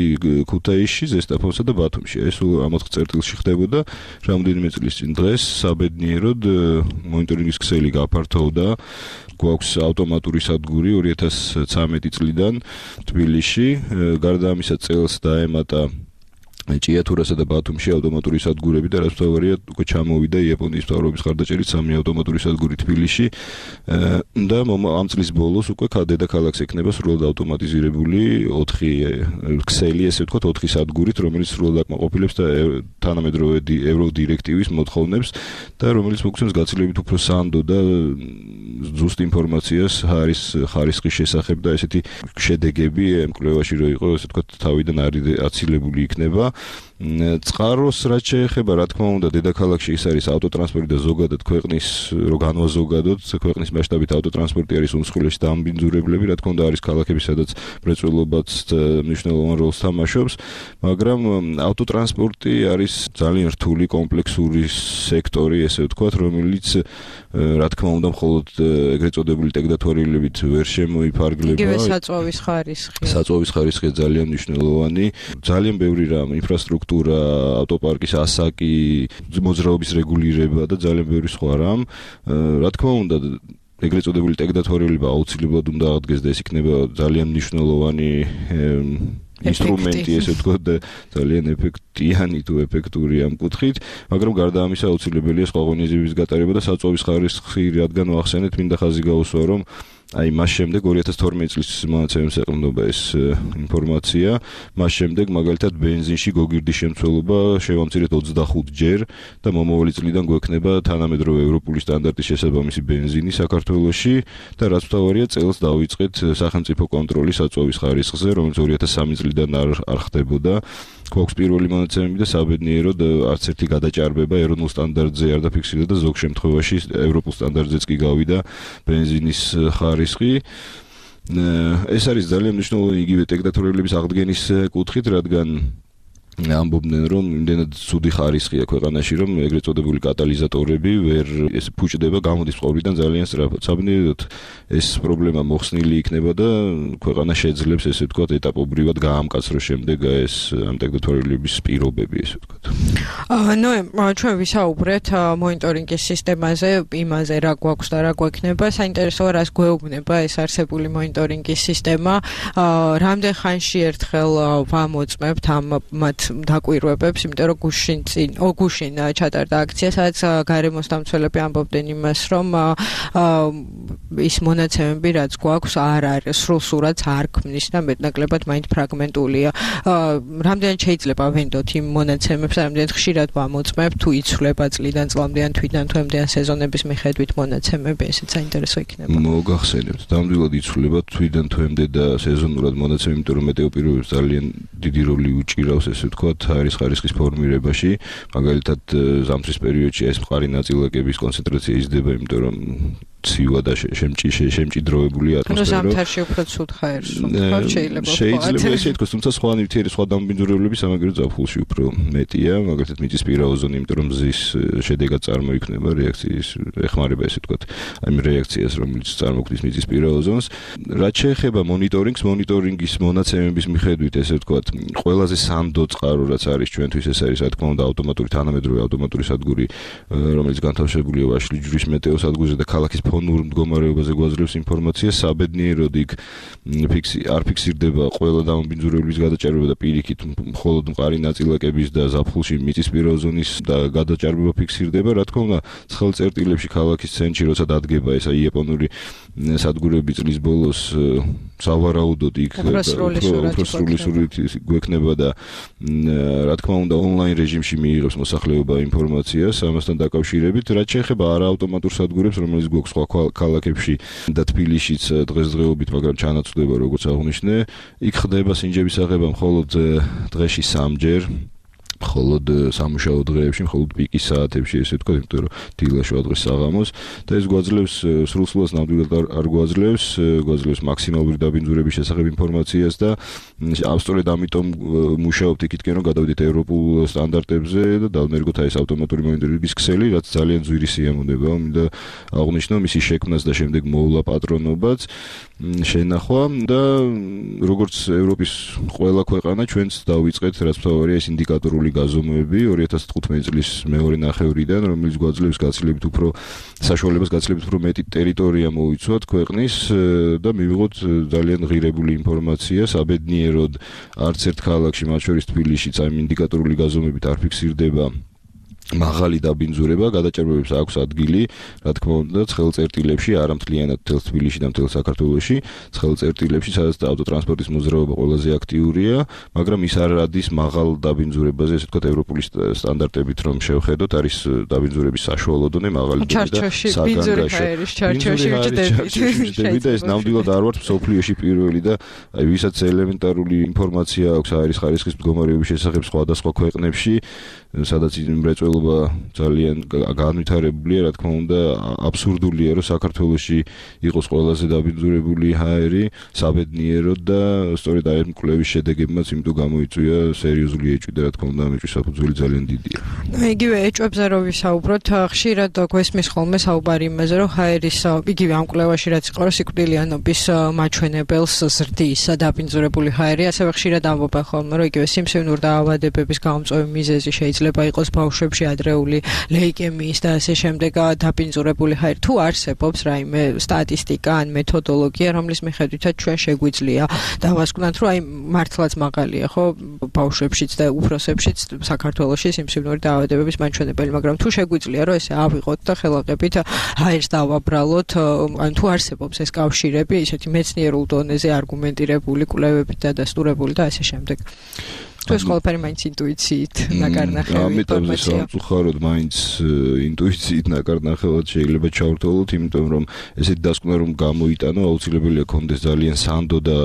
ქუთაისში, ზესტაფონსა და ბათუმში. ეს ამ ოთხ წერტილში ხდებოდა რამდენიმე წლის წინ. დღეს საბედნიეროდ მონიტორინგის ქსელი გაფართოვდა. გვაქვს ავტომატური სადგური ორი ათას ცხრამეტი წლიდან თბილისში. გარდა ამისა წელს დაემატა ჭიათურასა და ბათუმში ავტომატური სადგურები და რაც თავარია უკვე ჩამოვიდა იაპონიის მთავრობის ხარდაჭერით სამი ავტომატური სადგური თბილისში და ამ წლის ბოლოს უკვე დედაქალაქს ექნება სრულად ავტომატიზირებული ოთხი ქსელი, ესე ვთქვათ, ოთხი სადგურით, რომელიც სრულად აკმაყოფილებს და თანამედროვე ევროდირექტივის მოთხოვნებს და რომელიც მოგცემს გაცილებით უფრო სანდო და ზუსტ ინფორმაციას არის ხარისხის შესახებ და ესეთი შედეგები ამ კვლევაში რო იყო, ესე ვთქვათ, თავიდან აცილებული იქნება. წყაროს რაც შეეხება, რა თქმა უნდა, დედაქალაქში ის არის ავტოტრანსპორტი და ზოგადად ქვეყნის რო განვაზოგადოთ, ქვეყნის მასშტაბით ავტოტრანსპორტი არის უმსხვილესი დამბინძურებლები, რა თქმა უნდა, არის ქალაქები, სადაც მრეწველობაც მნიშვნელოვან როლს თამაშობს, მაგრამ ავტოტრანსპორტი არის ძალიან რთული კომპლექსური სექტორი, ესე ვთქვათ, რომელიც რა თქმა უნდა, მხოლოდ ეგრეთ წოდებული ტექნოლოგიებით ვერ შემოიფარგლება. იგივე საწვავის ხარისხი. საწვავის ხარისხი ძალიან მნიშვნელოვანი, ძალიან ბევრი რამ, ინფრასტრუქტურა, ავტოპარკის ასაკი, მოძრაობის რეგულირება და ძალიან ბევრი სხვა რამ. რა თქმა უნდა, ეგრეთ წოდებული ტექნოლოგიები აუცილებლად უნდა აღდგეს და ეს იქნება ძალიან მნიშვნელოვანი ინსტრუმენტი, ესე ვთქვათ, და ძალიან ეფექტიანი თუ ეფექტური ამ კუთხით, მაგრამ გარდა ამისა აუცილებელია სხვა ღონისძიებების გატარება და საწვავის ხარისხი, რადგან ვახსენეთ, მინდა ხაზი გაუსვა, რომ აი მას შემდეგ ორი ათას თორმეტი წლის მონაცემებს ეყრდნობა ეს ინფორმაცია, მას შემდეგ მაგალითად ბენზინში გოგირდის შემცველობა შევამცირეთ ოცდახუთ ჯერ და მომავალი წლიდან გვექნება თანამედროვე ევროპული სტანდარტის შესაბამისი ბენზინი საქართველოში და რაც მთავარია, წელს დავიწყეთ სახელმწიფო კონტროლის საწვავის ხარისხზე, რომელიც ორი ათას სამი წლიდან არ არ ხდებოდა. გვაქვს პირველი მონაცემები და საბედნიეროდ არც ერთი გადაჭარბება ეროვნულ სტანდარტზე არ დაფიქსირდა და ზოგ შემთხვევაში ევროპულ სტანდარტზეც კი გავიდა ბენზინის ხარისხი. ეს არის ძალიან მნიშვნელოვანი იგივე ტექნოლოგიების აღდგენის კუთხით, რადგან ამბობდნენ, რომ იმდენად ცუდი ხარისხია ქვეყანაში, რომ ეგრეთ წოდებული კატალიზატორები ვერ ეს ფუჭდება, გამოდის მყოვრიდან ძალიან სწრაფად. საბედნიეროდ ეს პრობლემა მოხსნილი იქნება და ქვეყანა შეძლებს, ესე ვთქვათ, ეტაპობრივად გაამკაცროს შემდეგ ეს ამ ტექნოლოგიების პირობები, ესე ვთქვათ. ნუ ჩვენ ვისაუბრეთ მონიტორინგის სისტემაზე, იმაზე რა გვაქვს და რა გვექნება. საინტერესოა, რას გვეუბნება ეს არსებული მონიტორინგის სისტემა. რამდენ ხანში ერთხელ ვამოწმებთ ამ მათ დაკვირვებებს, იმიტომ რომ გუშინ წინ, ო გუშინ ჩატარდა აქცია, სადაც გარემოს დამცველები ამბობდნენ იმას, რომ ის მონაცემები, რაც გვაქვს, არ არის სრულ-სრულად არ ქმნის და მეტნაკლებად მაინც ფრაგმენტულია. რამდენად შეიძლება ვენდოთ იმ მონაცემებს, რამდენად ხშირად ვამოწმებთ, თუ იცვლება წლიდან წლამდე ან თვიდან თვემდე ან სეზონების მიხედვით მონაცემები, ესეც საინტერესო იქნება. მოგახსენებთ, ნამდვილად იცვლება თვიდან თვემდე და სეზონურად მონაცემები, იმიტომ რომ მეტეოპირობებს ძალიან დიდი როლი უჭირავს, ესე ვთქვათ, არის ხარისხის ფორმირებაში, მაგალითად ზამთრის პერიოდში ეს მყარი ნაწილაკების კონცენტრაცია იზრდება, იმიტომ რომ ცივა და შემჭიდროებული ატმოსფერო. ზამთარში უფრო ცუდ ხაერს ვთქვათ, შეიძლება ვთქვათ. შეიძლება ესე ითქვას, თუმცა სხვა ნივთიერი, სხვა დამბინძურებლები სამაგერო ზაფხულში უფრო მეტია, მაგალითად მიწისპირა ოზონი, იმიტომ რომ მზის შედეგად წარმოიქმნება რეაქციის, ეხმარება ესე ვთქვათ, აი რეაქციას, რომელიც წარმოქმნის მიწისპირა ოზონს. რაც შეეხება მონიტორინგს, მონიტორინგის მონაცემების მიხედვით, ესე ვთქვათ, ყველაზე სანდო წყარო, რაც არის ჩვენთვის, ეს არის, რა თქმა უნდა, ავტომატური თანამედროვე ავტომატური სადგური, რომელიც განთავსებულია ვაშლი ჯვრის მეტეოსადგურზე და ქალაქის ფონურ მდგომარეობაზე გვაძლევს ინფორმაცია, საბედნიეროდ იქ ფიქსი არ ფიქსირდება ყველა დამბინძურებლის გადაჭარბება და პირიქით მხოლოდ მყარი ნაწილაკების და ზაფხულში მიწისპირა ზონის გადაჭარბება ფიქსირდება. რა თქმა უნდა, ცხელ წერტილებში ქალაქის ცენტრში როცა დადგება ეს იაპონური სადგურები წლის ბოლოს სავარაუდოდ იქ უფრო სრული სურათი გვექნება და რა თქმა უნდა ონლაინ რეჟიმში მიიღებს მოსახლეობა ინფორმაციას ამასთან დაკავშირებით. რაც შეეხება არაავტომატურ სადგურებს, რომელიც გვაქვს სხვა ქალაქებში და თბილისშიც დღესდღეობით, მაგრამ ჩანაცვლება, როგორც აღნიშნე, იქ ხდება სინჯების აღება მხოლოდ დღეში სამჯერ. მხოლოდ სამუშაო დღეებში, მხოლოდ პიკის საათებში, ესე ვთქვათ, იმიტომ რომ დილა შუა დღეს საღამოს და ეს გვაძლევს სრულსრულად ნამდვილად არ გვაძლევს, გვაძლევს მაქსიმალური დაბინძურების შესახებ ინფორმაციას და სწორედ ამიტომ მუშაობთ იქითკენ, რომ გადავიდეთ ევროპულ სტანდარტებზე და დავნერგოთ აი ეს ავტომატური მონიტორინგის ქსელი, რაც ძალიან ძვირი სიამონებაა, მინდა აღვნიშნო მისი შექმნას და შემდეგ მოვლა პატრონობაც შენახვა და როგორც ევროპის ყველა ქვეყანა ჩვენც დავიწყეთ, რაც მთავარია ეს ინდიკატორული გაზომვები ორი ათას თხუთმეტი წლის მეორე ნახევრიდან, რომელიც გვაძლევს გაცილებით უფრო საშუალებას გაცილებით უფრო მეტი ტერიტორია მოვიცვათ ქვეყნის და მივიღოთ ძალიან ღირებული ინფორმაცია. საბედნიეროდ არც ერთ ქალაქში, მათ შორის თბილისშიც, აი ინდიკატორული გაზომვებით არ ფიქსირდება მაღალი დაბინძურება, გადაჭერბებებს აქვს ადგილი, რა თქმა უნდა, ცხელწერტილებში, არა მთლიანად მთელ თბილისში და მთელ საქართველოში, ცხელწერტილებში, სადაც ავტოტრანსპორტის მოძრაობა ყველაზე აქტიურია, მაგრამ ის არ ადის მაღალ დაბინძურებაზე, ესე ვთქვათ, ევროპული სტანდარტებით რომ შევხედოთ, არის დაბინძურების საშუალო დონე, მაღალი დონე და საგანგაშო. ჩარჩოში ვჭდები და ეს ნამდვილად არ ვართ მსოფლიოში პირველი და აი ვისაც ელემენტარული ინფორმაცია აქვს აერის ხარისხის მდგომარეობის შესახებ სხვადასხვა ქვეყნებში, სადაც მრეწველობა ძალიან განვითარებულია, რა თქმა უნდა, აბსურდულია, რომ საქართველოში იყოს ყველაზე დაბინძურებული ჰაერი, საბედნიეროდ და სწორედ აი მკვლევის შედეგებმაც იმიტომ გამოიწვია სერიოზული ეჭვი და რა თქმა უნდა, ამეჭვის საფუძველი ძალიან დიდია. იგივე ეჭვებზე რო ვისაუბროთ, ხშირად გვესმის ხოლმე საუბარი იმაზე, რომ ჰაერის იგივე ამ კვლევაში რაც იყო, რომ სიკვდილიანობის მაჩვენებელს ზრდის დაბინძურებული ჰაერი, ასევე ხშირად ამბობენ ხოლმე, რომ იგივე სიმსივნურ დაავადებების გამომწვევი მიზეზი შეიძლება იყოს ბავშვებში ადრეული ლეიკემიის და ასე შემდეგ დაბინძურებული ჰაერი. თუ არსებობს რაიმე სტატისტიკა ან მეთოდოლოგია, რომლის მიხედვითაც ჩვენ შეგვიძლია დავასკვნათ, რომ აი მართლაც მაღალია, ხო, ბავშვებშიც და უფროსებშიც საქართველოში სიმსივნური დაავადებების მაჩვენებელი, მაგრამ თუ შეგვიძლია, რომ ესე ავიღოთ და ხელახებით ჰაერს დავაბრალოთ, ან თუ არსებობს ეს კავშირები, ისეთი მეცნიერულ დონეზე არგუმენტირებული კვლევებით დადასტურებული და ასე შემდეგ. თუ ეს ყველაფერი მაინც ინტუიციით ნაკარნახევი ინფორმაცია. სამწუხაროდ მაინც ინტუიციით ნაკარნახევად შეიძლება ჩავრთვალოთ, იმიტომ რომ ესეთი დასკვნა რომ გამოიტანო, აუცილებელია კონდეს ძალიან სანდო და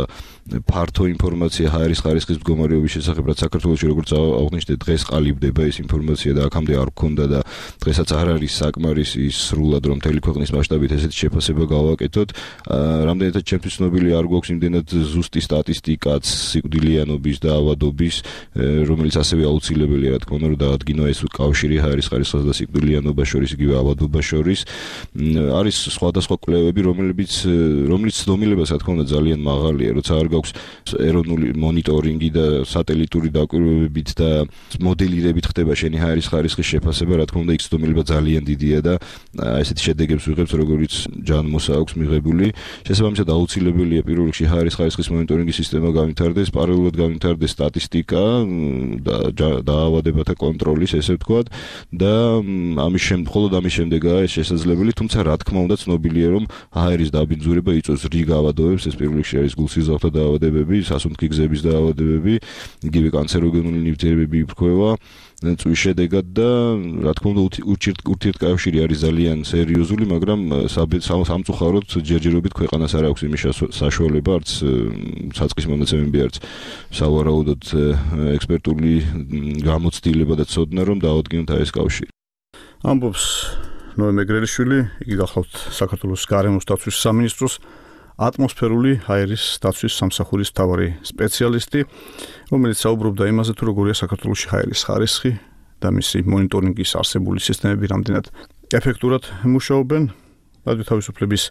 ფართო ინფორმაცია ჰაერის ხარისხის მდგომარეობის შესახებ, რაც საქართველოში როგორც აღნიშნე დღეს ყალიბდება ეს ინფორმაცია და აქამდე არ გქონდა და დღესაც არ არის საკმარისი სრულად რომ მთელი ქვეყნის მასშტაბით ესეთი შეფასება გავაკეთოთ. რამდენადაც ჩემთვის ცნობილი არ გვაქვს იმდენად ზუსტი სტატისტიკაც სიკვდილიანობის და ავადობის, რომელიც ასევე აუცილებელია, რა თქმა უნდა, რომ დაადგინო ეს კავშირი ჰაერის ხარისხსა და სიკვდილიანობას შორის, იგივე ავადობას შორის. არის სხვადასხვა კვლევები, რომლებიც რომლის ცდომილებაც, რა თქმა უნდა, ძალიან მაღალია, როცა არ აქვს ეროვნული მონიტორინგი და სატელიტური დაკვირვებებით და მოდელირებით ხდება შენი ჰაერის ხარისხის შეფასება, რა თქმა უნდა, იქ ცდომილება ძალიან დიდია და ესეთი შედეგებს ვიღებს, როგორიც ჯანმოსა აქვს მიღებული. შესაბამისად, აუცილებელია პირველ რიგში ჰაერის ხარისხის მონიტორინგის სისტემა განვითარდეს, პარალელურად განვითარდეს სტატისტიკა და დაავადებათა კონტროლის, ესე ვთქვათ, და ამის შემდეგ, მხოლოდ ამის შემდეგაა ეს შესაძლებელი, თუმცა რა თქმა უნდა, ცნობილია, რომ ჰაერის დაბინძურება იწვევს რიგ ავადობებს, ეს პირველ რიგში არის გულსიზრდათა დაავადებები, სასუნთქი გზების დაავადებები, იგივე კანცეროგენული ნივთიერებები იფრქვევა წვის შედეგად და რა თქმა უნდა ურთიერთკავშირი არის ძალიან სერიოზული, მაგრამ სამწუხაროდ ჯერჯერობით ქვეყანას არ აქვს იმის საშუალება, არც საწყის მონაცემები, არც სავარაუდოდ ექსპერტული გამოცდილება და ცოდნა, რომ დაადგინოთ ეს კავშირი. ამბობს ნოე მეგრელიშვილი, იგი გახლავთ საქართველოს გარემოს დაცვის სამინისტროს ატმოსფერული ჰაერის დაცვის სამსახურის მთავარი სპეციალისტი, რომელიც საუბრობდა იმაზე, თუ როგორია საქართველოში ჰაერის ხარისხი და მისი მონიტორინგის არსებული სისტემები რამდენად ეფექტურად მუშაობენ. რადიო თავისუფლების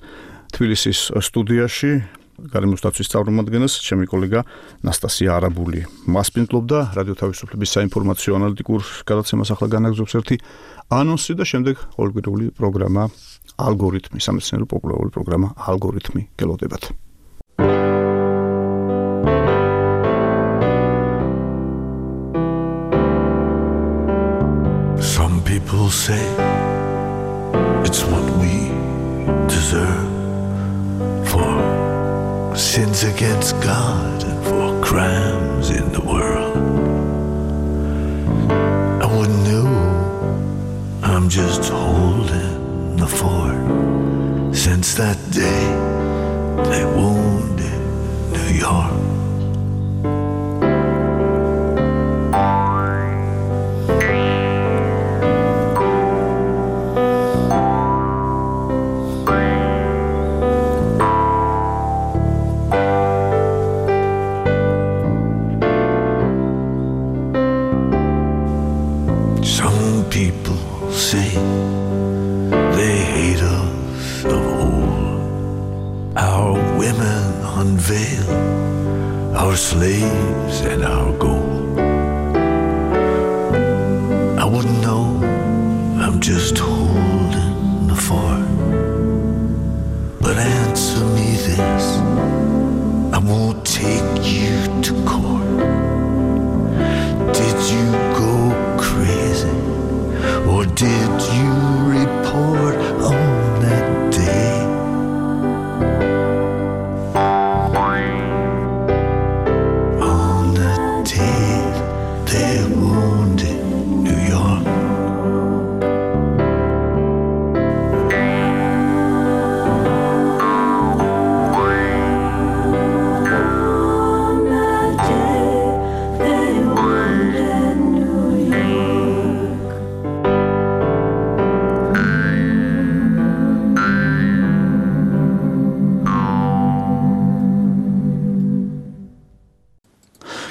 თბილისის სტუდიაში გარემოს დაცვის წარმომადგენელს ჩემი კოლეგა ნასტასია არაბული მასპინძლობდა. რადიო თავისუფლების საინფორმაციო ანალიტიკურ გადაცემას ახლა განაგზობს ერთი ანონსი და შემდეგ ყოველკვირეული პროგრამა ალგორითმი, სამეცნიერო პოპულარული პროგრამა ალგორითმი გელოდებათ. Some people say it's what we deserve for sins against God and for crimes in the world. I wouldn't know, I'm just holding the fort since that day they wounded New York. Some people say they hate us of old. Our women unveil our slaves and our gold. I would know I'm just holding the fort. But answer me this, I won't take you to court. Did you go crazy, or did you report on that day? On that day they wounded New York.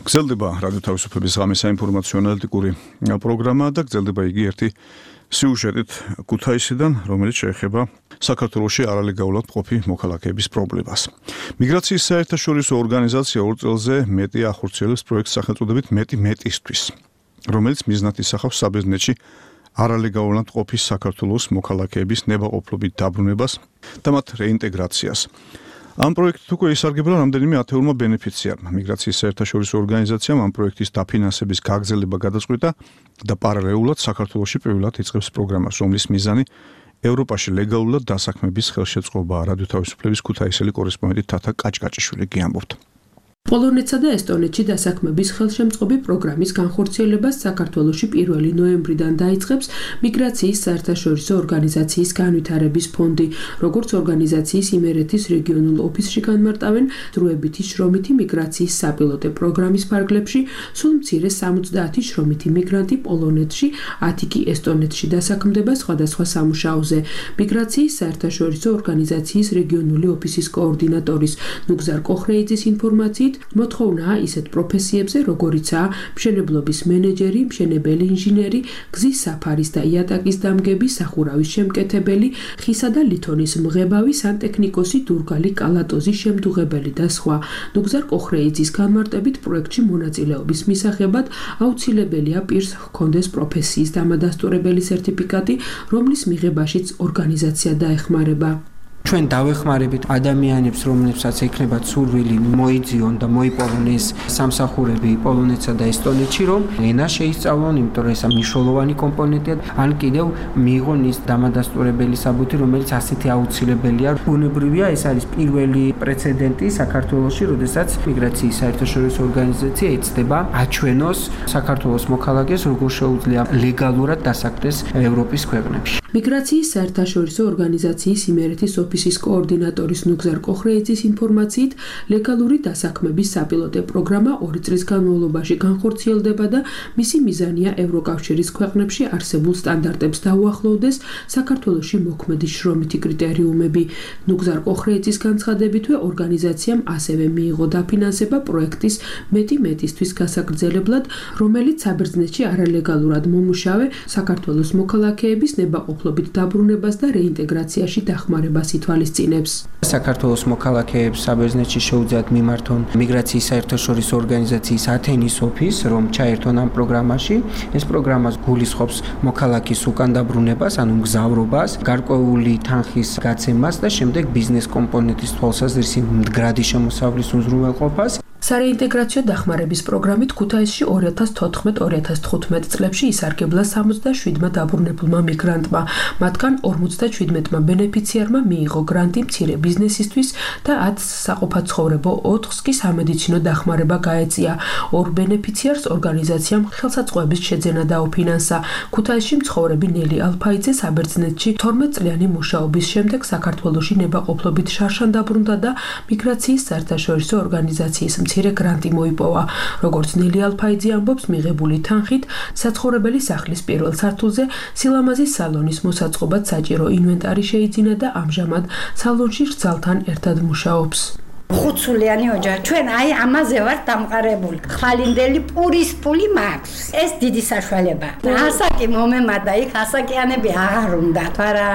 გრძელდება რადიო თავისუფლების ღამის საინფორმაციო ანალიტიკური პროგრამა და გრძელდება იგი ერთი სიუჟეტით ქუთაისიდან, რომელიც შეეხება საქართველოში არალეგალურად მყოფი მოქალაქეების პრობლემას. მიგრაციის საერთაშორისო ორგანიზაცია ორ წელზე მეტი ახორციელებს პროექტს სახელწოდებით მეტი მეტისთვის, რომელიც მიზნად ისახავს საბერძნეთში არალეგალურად მყოფი საქართველოს მოქალაქეების ნებაყოფლობით დაბრუნებას და მათ რეინტეგრაციას. ამ პროექტით უკვე ისარგებლა რამდენიმე ათეულმა ბენეფიციარმა. მიგრაციის საერთაშორისო ორგანიზაციამ ამ პროექტის დაფინანსების გაგრძელება გადაწყვიტა და პარალელურად საქართველოში პირველად იწყებს პროგრამას, რომლის მიზანი ევროპაში ლეგალურად დასაქმების ხელშეწყობაა. რადიო თავისუფლების ქუთაისელი კორესპონდენტი თათა კაჭკაჭიშვილი გიამბობთ. პოლონეთსა და ესტონეთში დასაქმების ხელშემწყობი პროგრამის განხორციელებას საქართველოში პირველი ნოემბრიდან დაიწყებს მიგრაციის საერთაშორისო ორგანიზაციის განვითარების ფონდი, როგორც ორგანიზაციის იმერეთის რეგიონულ ოფისში განმარტავენ, დროებითი შრომითი მიგრაციის საპილოტე პროგრამის ფარგლებში სულ მცირე სამოცდაათი შრომითი მიგრანტი პოლონეთში, ათი კი ესტონეთში დასაქმდება სხვადასხვა სამუშაოზე. მიგრაციის საერთაშორისო ორგანიზაციის რეგიონული ოფისის კოორდინატორის ნუგზარ კოხრეიძის ინფორმაციით მოთხოვნაა ისეთ პროფესიებზე, როგორიცაა მშენებლობის მენეჯერი, მშენებელი ინჟინერი, გზის საფარის და იატაკის დამგები, სახურავის შემკეთებელი, ხისა და ლითონის მღებავი, სანტექნიკოსი, დურგალი, კალატოზის შემდუღებელი და სხვა. ნუგზარ კოხრეიძის განმარტებით პროექტში მონაწილეობის მისაღებად აუცილებელია პირს ჰქონდეს პროფესიის დამადასტურებელი სერტიფიკატი, რომლის მიღებაშიც ორგანიზაცია დაეხმარება. ჩვენ დავეხმარებით ადამიანებს, რომლებსაც ექნებათ სურვილი მოიძიონ და მოიპოვონ ეს სამსახურები პოლონეთსა და ესტონეთში, რომ ენა შეისწავლონ, იმიტომ რომ ეს მნიშვნელოვანი კომპონენტია, ან კიდევ მიიღონ ის დამადასტურებელი საბუთი, რომელიც ასეთი აუცილებელია. ბუნებრივია, ეს არის პირველი პრეცედენტი საქართველოში, როდესაც მიგრაციის საერთაშორისო ორგანიზაცია ეცდება აჩვენოს საქართველოს მოქალაქეს, როგორ შეუძლია ლეგალურად დასაქმდეს ევროპის ქვეყნებში. მიგრაციის საერთაშორისო ორგანიზაციის იმერეთის ოფისის კოორდინატორის ნუგზარ კოხრეიძის ინფორმაციით, ლეგალური დასაქმების საპილოტე პროგრამა ორი წლის განმავლობაში განხორციელდება და მისი მიზანია ევროკავშირის ქვეყნებში არსებულ სტანდარტებს დაუახლოვდეს საქართველოში მოქმედი შრომითი კრიტერიუმები. ნუგზარ კოხრეიძის განცხადებითვე ორგანიზაციამ ასევე მიიღო დაფინანსება პროექტის მეტი მეტისთვის გასაგრძელებლად, რომელიც საბერძნეთში არალეგალურად მომუშავე საქართველოს მოქალაქეების ნებაყოფლობით დაბრუნებას და რეინტეგრაციაში დახმარებას ითვალისწინებს. საქართველოს მოქალაქეებს საბერძნეთში შეუძლიათ მიმართონ მიგრაციის საერთაშორისო ორგანიზაციის ათენის ოფისს, რომ ჩაერთონ ამ პროგრამაში. ეს პროგრამა გულისხმობს მოქალაქის უკან დაბრუნებას, ანუ მგზავრობას, გარკვეული თანხის გაცემას და შემდეგ ბიზნეს კომპონენტის თვალსაზრისი მდგრადი შემოსავლის უზრუნველყოფას. სარეინტეგრაციო დახმარების პროგრამით ქუთაისში ორი ათას თოთხმეტ ორი ათას თხუთმეტ წლებში ისარგებლა სამოცდაშვიდმა დაბრუნებულმა მიგრანტმა. მათგან ორმოცდაჩვიდმეტმა ბენეფიციარმა მიიღო გრანტი მცირე ბიზნესისთვის და ათს საყოფაცხოვრებო, ოთხს კი სამედიცინო დახმარება გაეწია. ორ ბენეფიციარს ორგანიზაციამ ხელსაწყოების შეძენა დაუფინანსა. ქუთაისში მცხოვრები ნელი ალფაიძე საბერძნეთში თორმეტ წლიანი მუშაობის შემდეგ საქართველოში ნებაყოფლობით შარშან დაბრუნდა და მიგრაციის საერთაშორისო ორგანიზაციის მცირე გრანტი მოიპოვა. როგორც ნელი ალფაიძე ამბობს, მიღებული თანხით საცხოვრებელი სახლის პირველ სართულზე სილამაზის სალონის მოსაწყობად საჭირო ინვენტარი შეიძინა და ამჟამად სალონში რძალთან ერთად მუშაობს. ხუთსულიანი ოჯახი. ჩვენ აი ამაზე ვართ დამყარებული. ხვალინდელი პურის პული მაქვს. ეს დიდი საშუალება. ასაკი მომემატა, იქ ასაკიანები აღარ უნდა. თორე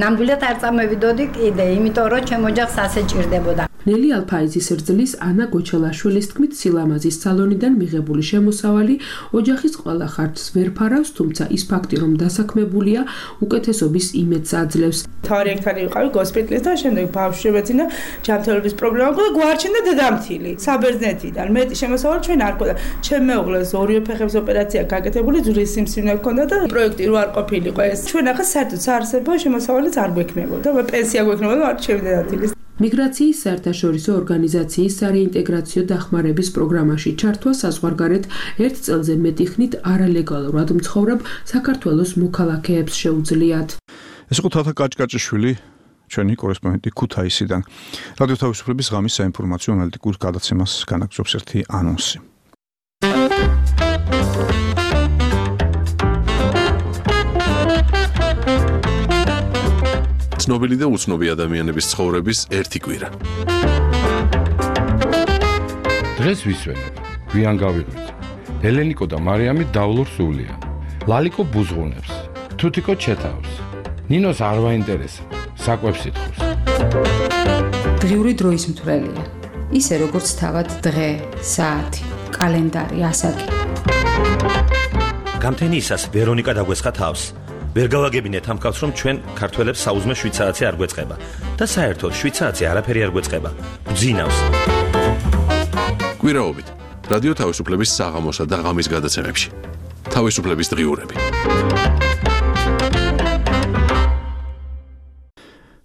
ნამდვილად არ წამოვიდოდი კიდე, იმიტომ რომ ჩემ ოჯახს ასე ჭირდებოდა. ნელი ალფაიზის რძლის ანა გოჩელაშვილის თქმით, სილამაზის სალონიდან მიღებული შემოსავალი ოჯახის ყველა ხარჯს ვერ ფარავს, თუმცა ის ფაქტი, რომ დასაქმებულია, უკეთესობის იმედს აძლევს. თავი ერთად ვიყავი გოსპიტალის და შემდეგ ბავშვი შემეძინა ჯანმრთელობის პრობლემა და გვარჩენდა დედამთილი. საბერძნეთიდან მეტი შემოსავალი ჩვენ არ ქონდა. ჩემ მეუღლეს ორივე ფეხების ოპერაცია გაკეთებული, ძვლის სიმსივნე ჰქონდა და პროექტი რო არ ყოფილიყო ეს. ჩვენ ახლა საერთოდ საარსებო შემოსავალიც არ გვექნებოდა. პენსია გვექნებოდა არ ჩემი დედამთილის. მიგრაციის საერთაშორისო ორგანიზაციის სარეინტეგრაციო დახმარების პროგრამაში ჩართვა საზღვარგარეთ ერთ წელზე მეტი ხნით არალეგალურად მცხოვრებ საქართველოს მოქალაქეებს შეუძლიათ. ეს იყო თათა კაჭკაჭიშვილი, ჩვენი კორესპონდენტი ქუთაისიდან. რადიო თავისუფლების ღამის საინფორმაციო ანალიტიკურ გადაცემას განაგრძობს ერთი ანონსი. ცნობილი და უცნობი ადამიანების ცხოვრების ერთი კვირა. დღეს ვისვენებ, გვიან გავიღვიძ. ელენიკო და მარიამი დავლურ სულიან. ლალიკო ბუზღუნებს, თუთიკო ჩეთავს. ნინოს არ ვაინტერესებს, საკვებს ითხოვს. დღიური დროის მთვრელია. ისე როგორც თავად დღე, საათი, კალენდარი, ასაკი. გამთენიისას ვერონიკა დაგვესხა თავს. ვერ გავაგებინეთ ამ კაცს, რომ ჩვენ ქართველებს საუზმე შვიდ საათზე არ გვეწყება და საერთოდ შვიდ საათზე არაფერი არ გვეწყება. გძინავს. კვირაობით რადიო თავისუფლების საღამოსა და ღამის გადაცემებში. თავისუფლების დღიურები.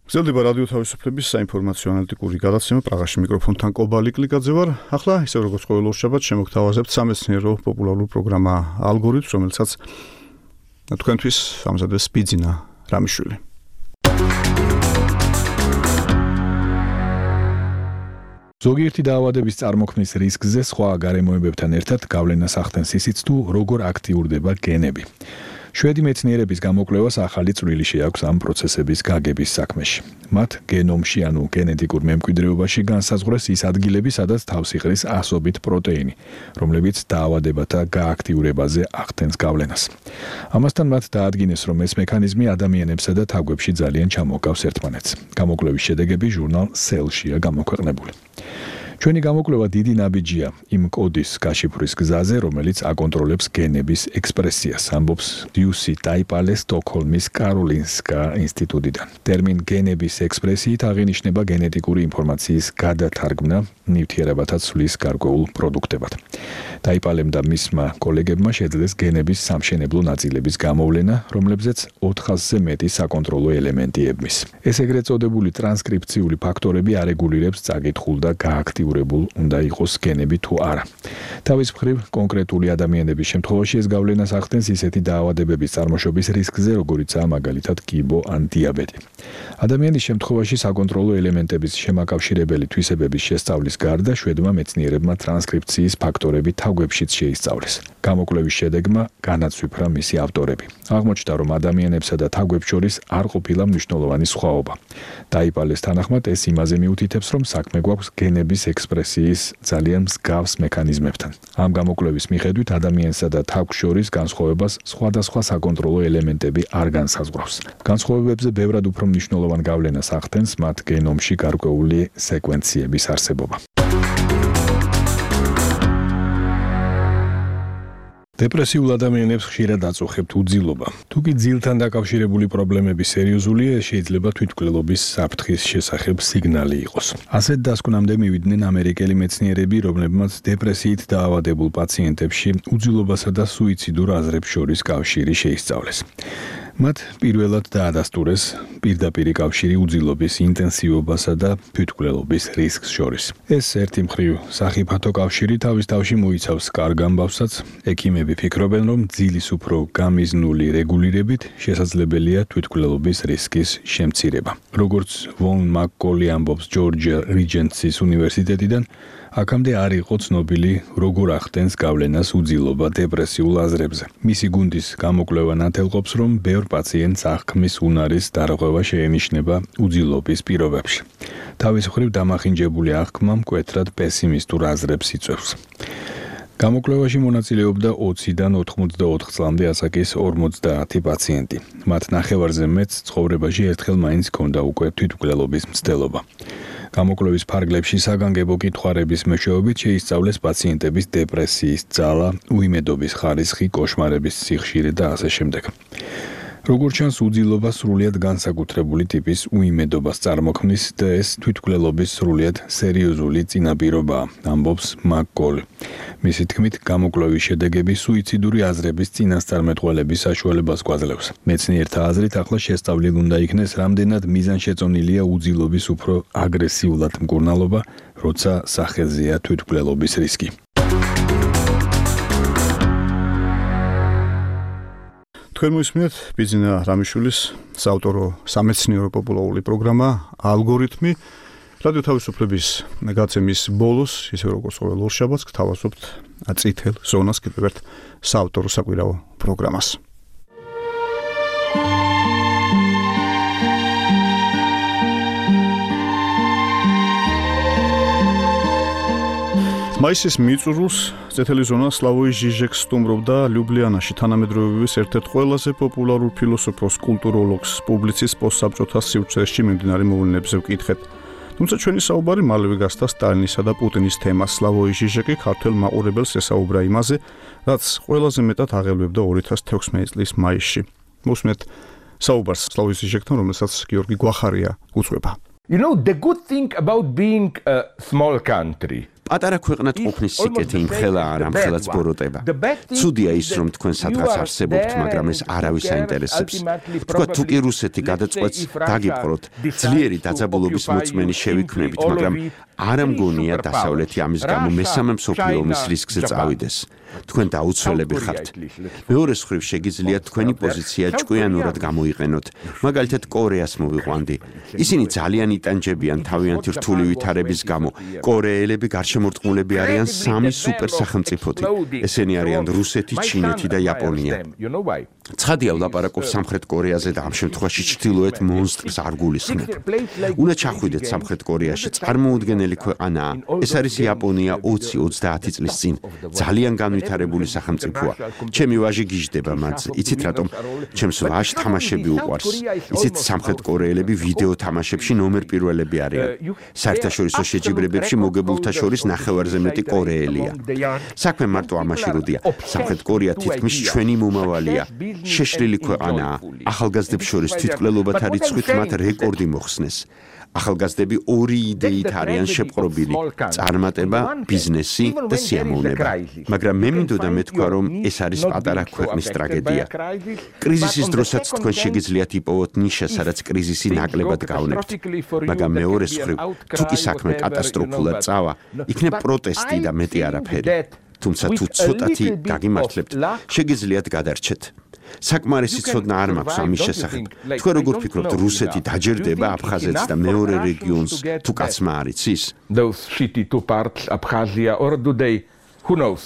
გრძელდება რადიო თავისუფლების საინფორმაციო ანალიტიკური გადაცემა. პრაღაში მიკროფონთან კობალი კლიკაძე ვარ. ახლა ისე როგორც ყოველ შაბათს შემოგთავაზებთ სამეცნიერო პოპულარულ პროგრამა ალგორითმს, რომელსაც თქვენთვის ამზადებს ბიძინა რამიშვილი. ზოგიერთი დაავადების წარმოქმნის რისკზე სხვა გარემოებებთან ერთად გავლენას ახდენს ისიც თუ როგორ აქტიურდება გენები. შვედი მეცნიერების გამოკვლევას ახალი წვლილი შეაქვს ამ პროცესების გაგების საქმეში. მათ გენომში, ანუ გენეტიკურ მემკვიდრეობაში განსაზღვრეს ის ადგილები, სადაც თავს იყრის ასობით პროტეინი, რომლებიც დაავადებათა გააქტიურებაზე ახდენს გავლენას. ამასთან მათ დაადგინეს, რომ ეს მექანიზმი ადამიანებსა და თაგვებში ძალიან ჩამოყავს ერთმანეთს. გამოკვლევის შედეგები ჟურნალ Cell-შია გამოქვეყნებული. ჩვენი გამოკვლევა დიდი ნაბიჯია იმ კოდის გაშიფვრის გზაზე, რომელიც აკონტროლებს გენების ექსპრესიას, ამბობს დიუსი ტაიპალე სტოკჰოლმის კაროლინსკა ინსტიტუტიდან. ტერმინ გენების ექსპრესიით აღინიშნება გენეტიკური ინფორმაციის გადათარგმნა ნივთიერებათა ცვლის გარკვეულ პროდუქტებად. ტაიპალემ და მისმა კოლეგებმა შეძლეს გენების სამშენებლო ნაწილების გამოვლენა, რომლებზეც ოთხასზე მეტი საკონტროლო ელემენტი ებმის. ეს ეგრეთ წოდებული ტრანსკრიფციული ფაქტორები არეგულირებს წაკითხულ და გააქტიურებულ უნდა იყოს გენები თუ არა. თავის მხრივ, კონკრეტული ადამიანების შემთხვევაში ეს გავლენას ახდენს ისეთი დაავადებების წარმოშობის რისკზე, როგორიცაა მაგალითად კიბო ან დიაბეტი. ადამიანის შემთხვევაში საკონტროლო ელემენტების შემაკავშირებელი თვისებების შესწავლის გარდა შვედმა მეცნიერებმა ტრანსკრიფციის ფაქტორები თაგვებშიც შეისწავლეს. გამოკვლევის შედეგმა განაცვიფრა მისი ავტორები. აღმოჩნდა, რომ ადამიანებსა და თაგვებს შორის არ ყოფილა მნიშვნელოვანი სხვაობა. ტაიპალეს თანახმად ეს იმაზე მიუთითებს, რომ საქმე გვაქვს გენების ექსპრესიის ძალიან მსგავს მექანიზმებთან. ამ გამოკვლევის მიხედვით ადამიანსა და თაგვს შორის განსხვავებას სხვადასხვა საკონტროლო ელემენტები არ განსაზღვრავს. განსხვავებებზე ბევრად უფრო მნიშვნელოვან გავლენას ახდენს მათ გენომში გარკვეული სეკვენციების არსებობა. დეპრესიულ ადამიანებს ხშირად აწუხებთ უძილობა. თუ კი ძილთან დაკავშირებული პრობლემები სერიოზულია, შეიძლება თვითმკვლელობის საფრთხის შესახებ სიგნალი იყოს. ასეთ დასკვნამდე მივიდნენ ამერიკელი მეცნიერები, რომლებმაც დეპრესიით დაავადებულ პაციენტებში უძილობასა და სუიციდურ აზრებს შორის კავშირი შეისწავლეს. მათ პირველად დაადასტურეს პირდაპირი კავშირი უძილობის ინტენსივობასა და თვითმკვლელობის რისკს შორის. ეს ერთი მხრივ სახიფათო კავშირი თავის თავში მოიცავს კარგ ამბავსაც. ექიმები ფიქრობენ, რომ ძილის უფრო გამიზნული რეგულირებით შესაძლებელია თვითმკვლელობის რისკის შემცირება. როგორც ვონ მაკკოლი ამბობს ჯორჯია რიჯენსის უნივერსიტეტიდან, აქამდე არ იყო ცნობილი, როგორ ახდენს გავლენას უძილობა დეპრესიულ აზრებზე. მისი გუნდის გამოკვლევა ნათელყოფს, რომ ბევრ პაციენტს აღქმის უნარის დარღვევა შეენიშნება უძილობის პირობებში. თავის მხრივ დამახინჯებული აღქმა მკვეთრად პესიმისტურ აზრებს იწვევს. გამოკვლევაში მონაწილეობდა ოციდან ოთხმოცდაოთხ წლამდე ასაკის ორმოცდაათი პაციენტი. მათ ნახევარზე მეტს ცხოვრებაში ერთხელ მაინც ჰქონდა უკვე თვითმკვლელობის მცდელობა. გამოკვლევის ფარგლებში საგანგებო კითხვარების მეშვეობით შეისწავლეს პაციენტების დეპრესიის ძალა, უიმედობის ხარისხი, კოშმარების სიხშირე და ასე შემდეგ. როგორც ჩანს, უძილობა სრულიად განსაკუთრებული ტიპის უიმედობას წარმოქმნის და ეს თვითმკვლელობის სრულიად სერიოზული წინაპირობაა, ამბობს მაკ-კოლი. მისი თქმით, გამოკვლევის შედეგები სუიციდური აზრების წინასწარმეტყველების საშუალებას გვაძლევს. მეცნიერთა აზრით, ახლა შესწავლილ უნდა იქნეს, რამდენად მიზანშეწონილია უძილობის უფრო აგრესიულად მკურნალობა, როცა სახელზეა თვითმკვლელობის რისკი. თქვენ მოისმინეთ ბიძინა რამიშვილის საავტორო სამეცნიერო პოპულარული პროგრამა ალგორითმი. რადიო თავისუფლების გაცემის ბოლოს, ისე როგორც ყოველ ორშაბათს, გთავაზობთ წითელ ზონას კიდევ ერთ საავტორო საკვირაო პროგრამას. მაისის მიწურულს წითელი ზონა სლავოი ჟიჟეკს სტუმრობდა ლიუბლიანაში თანამედროვეობის ერთ-ერთ ყველაზე პოპულარულ ფილოსოფოს, კულტუროლოგს, პუბლიცისტს პოსტსაბჭოთა სივრცეში მიმდინარე მოვლენებზე ვკითხეთ. თუმცა ჩვენი საუბარი მალევე გასცდა სტალინისა და პუტინის თემას. სლავოი ჟიჟეკი ქართველ მაყურებელს ესაუბრა იმაზე, რაც ყველაზე მეტად აღელვებდა ორი ათას თექვსმეტი წლის მაისში. მოსმენთ საუბარს სლავოი ჟიჟეკთან, რომელსაც გიორგი გვახარია უძღვება. You know, the good thing about being a small country პატარა ქვეყნად ყოფნის სიკეთე იმ ხელა არ ამ ხელაც ბოროტება. ცუდია ის, რომ თქვენ სადღაც არსებობთ, მაგრამ ეს არავის აინტერესებს. თქვა თუ კი რუსეთი გადაწყვეტს, დაგიპყროთ, ძლიერი დაძაბულობის მოწმენი შევიქმნებით, მაგრამ არ ამგონია დასავლეთი ამის გამო მესამე მსოფლიო ომის რისკზე წავიდეს. თქვენ დაუცველები ხართ. მეორე მხრივ შეგიძლიათ თქვენი პოზიცია ჭკვიანურად გამოიყენოთ. მაგალითად კორეას მოვიყვანდი. ისინი ძალიან იტანჯებიან თავიანთი რთული ვითარების გამო. კორეელები გარშემორტყმულები არიან სამი სუპერ სახელმწიფოთი. ესენი არიან რუსეთი, ჩინეთი და იაპონია. ცხადია ვლაპარაკობ სამხრეთ კორეაზე და ამ შემთხვევაში ჩრდილოეთ მონსტრს არ გულისხმობ. უნდა ჩახვიდეთ სამხრეთ კორეაში, წარმოუდგენელი ქვეყანაა. ეს არის იაპონია ოცი ოცდაათი წლის წინ. ძალიან განვითარებული სახელმწიფოა. ჩემი ვაჟი გიждდება მათზე. იცით რატომ? ჩემს ვაჟს თამაშები უყვარს. იცით სამხრეთ კორეელები ვიდეო თამაშებში ნომერ პირველები არიან. საერთაშორისო შეჯიბრებებში მოგებულთა შორის ნახევარზე მეტი კორეელია. საქმე მარტო ამაში როდია. სამხრეთ კორეა თითქმის ჩვენი მომავალია. შეშლილი ქვეყანაა. ახალგაზრდებს შორის თვითმკვლელობათა რიცხვით მათ რეკორდი მოხსნეს. ახალგაზრდები ორი იდეით არიან შეპყრობილი: წარმატება, ბიზნესი და სიამოვნება. მაგრამ მე მინდოდა მეთქვა, რომ ეს არის პატარა ქვეყნის ტრაგედია. კრიზისის დროსაც თქვენ შეგიძლიათ იპოვოთ ნიშა, სადაც კრიზისი ნაკლებად გავნებთ. მაგრამ მეორე მხრივ, თუ კი საქმე კატასტროფულად წავა, იქნებ პროტესტი და მეტი არაფერი. თუმცა თუ ცოტათი გაგიმართლებთ, შეგიძლიათ გადარჩეთ. საკმარისი ცოდნა არ მაქვს ამის შესახებ. თქვენ როგორ ფიქრობთ, რუსეთი დაჯერდება აფხაზეთს და მეორე რეგიონს თუ კაცმა არ იცის? Those shitty two parts, Abkhazia, or do they? Who knows?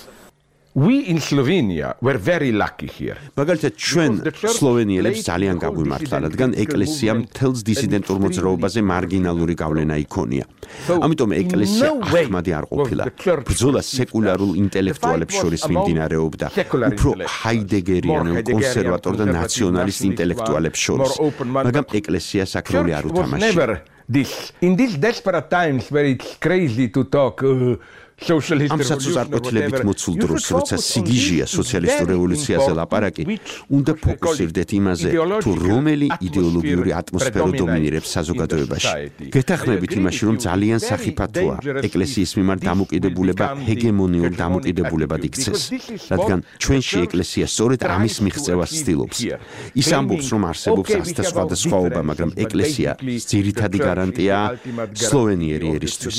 We in Slovenia were very lucky here. მაგალითად ჩვენ სლოვენიელებს ძალიან გაგვიმართლა, რადგან ეკლესიამ მთელს დისიდენტურ მოძრაობაზე მარგინალური გავლენა იქონია. ამიტომ ეკლესია ახმადი არ ყოფილა. ბრძოლა სეკულარულ ინტელექტუალებს შორის მიმდინარეობდა, უფრო ჰაიდეგერიან, კონსერვატორ და ნაციონალისტ ინტელექტუალებს შორის. მაგრამ ეკლესია საკროლი არ უთამაშია. This in these desperate times where it's crazy to talk uh, ამ საწუწარკვეთილებით მოცულ დროს, როცა სიგიჟია სოციალისტურ რევოლუციაზე ლაპარაკი, უნდა ფოკუსირდეთ იმაზე, თუ რომელი იდეოლოგიური ატმოსფერო დომინირებს საზოგადოებაში. გეთანხმებით იმაში, რომ ძალიან სახიფათოა ეკლესიის მიმართ დამოკიდებულება ჰეგემონიურ დამოკიდებულებად იქცეს, რადგან ჩვენში ეკლესია სწორედ ამის მიღწევას ცდილობს. ის ამბობს, რომ არსებობს ასთა სხვადასხვაობა, მაგრამ ეკლესია ძირითადი გარანტიაა სლოვენიერი ერისთვის.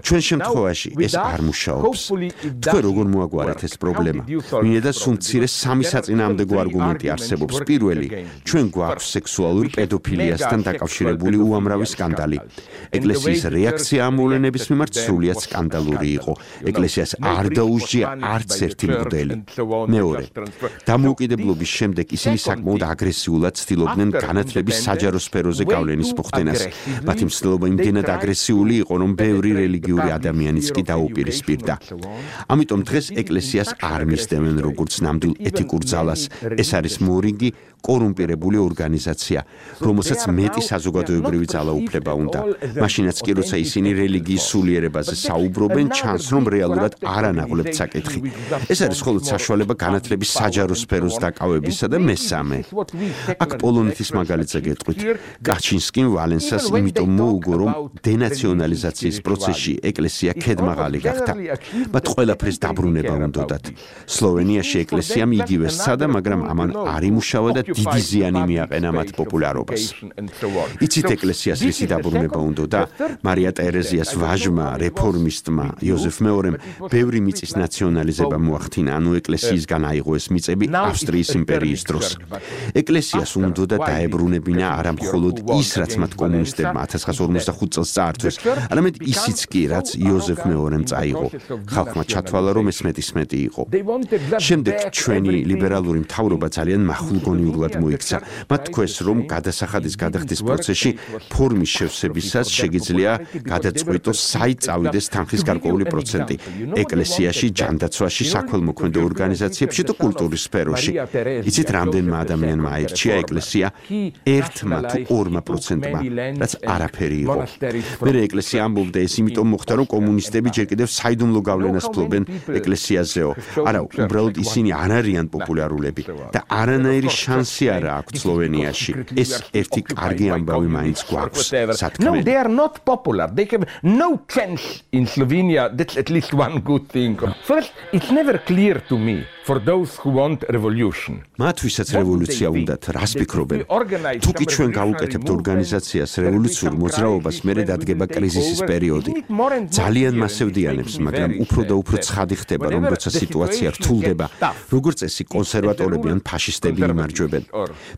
ჩვენ შემთხვევაში ეს არ მუშაობს. თქვენ როგორ მოაგვარეთ ეს პრობლემა? მინდა სულ მცირე სამი საწინააღმდეგო არგუმენტი არსებობს. პირველი, ჩვენ გვაქვს სექსუალურ პედოფილიასთან დაკავშირებული უამრავი სკანდალი. ეკლესიის რეაქცია ამ მოვლენების მიმართ სრულიად სკანდალური იყო. ეკლესიას არ დაუსჯია არც ერთი მღვდელი. მეორე, დამოუკიდებლობის შემდეგ ისინი საკმაოდ აგრესიულად ცდილობდნენ განათლების საჯარო სფეროზე გავლენის მოხდენას. მათი მცდელობა იმდენად აგრესიული იყო, რომ ბევრი რელიგიური ადამიანიც კი დაუპირისპირდა. ამიტომ დღეს ეკლესიას არ მისდევენ როგორც ნამდვილ ეთიკურ ძალას. ეს არის მორიგი კორუმპირებული ორგანიზაცია, რომელსაც მეტი საზოგადოებრივი ძალაუფლება უნდა. მაშინაც კი როცა ისინი რელიგიის სულიერებაზე საუბრობენ, ჩანს რომ რეალურად არ ანაღლებთ საკითხი. ეს არის მხოლოდ საშუალება განათლების საჯარო სფეროს დაკავებისა და მესამე. აქ პოლონეთის მაგალითზე გეტყვით. კაჩინსკიმ ვალენსას იმიტომ მოუგო, რომ დენაციონალიზაციის პროცესში ეკლესია ქედმაღალი გახდა. მათ ყველაფერს დაბრუნება უნდათ. სლოვენიაში ეკლესიამ იგივე სცადა, მაგრამ ამან არ იმუშავა და დიდი ზიანი მიაყენა მათ პოპულარობას. იცით ეკლესიას რისი დაბრუნება უნდა და მარია ტერეზიას ვაჟმა, რეფორმისტმა იოზეფ მეორემ ბევრი მიწის ნაციონალიზება მოახდინა, ანუ ეკლესიისგან აიღო ეს მიწები ავსტრიის იმპერიის დროს. ეკლესიას უნდა და დაებრუნებინა არა მხოლოდ ის, რაც მათ კომუნისტებმა ათას ცხრაასა ორმოცდახუთ წელს წაართვეს, არამედ ისიც კი, რაც იოზეფ მეორემ წაიღო. ხალხმა ჩათვალა, რომ ეს მეტისმეტი იყო. შემდეგ ჩვენი ლიბერალური მთავრობა ძალიან მახვილგონიურად მოიქცა. მათ თქვეს, რომ გადასახადის გადახდის პროცესში ფორმის შევსებისას შეგიძლია გადაწყვიტოს საით წავიდეს თანხის გარკვეული პროცენტი ეკლესიაში, ჯანდაცვაში, საქველმოქმედო ორგანიზაციებში და კულტურის სფეროში. იცით, რამდენმა ადამიანმა აირჩია ეკლესია? ერთმა თუ ორმა პროცენტმა, რაც არაფერი იყო. მერე ეკლესია ამბობდა, ეს იმიტომ მოხდა, რომ კომუნისტები ჯერ კიდევ საიდუმლო გავლენას ფლობენ ეკლესიაზეო. არა, უბრალოდ ისინი არ არიან პოპულარულები და არანაირი შანსი არა აქვთ სლოვენიაში. ეს ერთი კარგი ამბავი მაინც გვაქვს. No, they are not popular. They have no chance in Slovenia. That's at least one good thing. First, it's never clear to me for those who want revolution. მათ ვისაც რევოლუცია უნდათ, რას ფიქრობენ? თუ კი ჩვენ გავუკეთებთ ორგანიზაციას, რევოლუციურ მოძრაობას, მერე დადგება კრიზისის პერიოდი. ძალიან მასევდიანებს, მაგრამ უფრო და უფრო ცხადი ხდება, რომ როცა სიტუაცია რთულდება, როგორც წესი კონსერვატორები ან ფაშისტები იმარჯვებენ.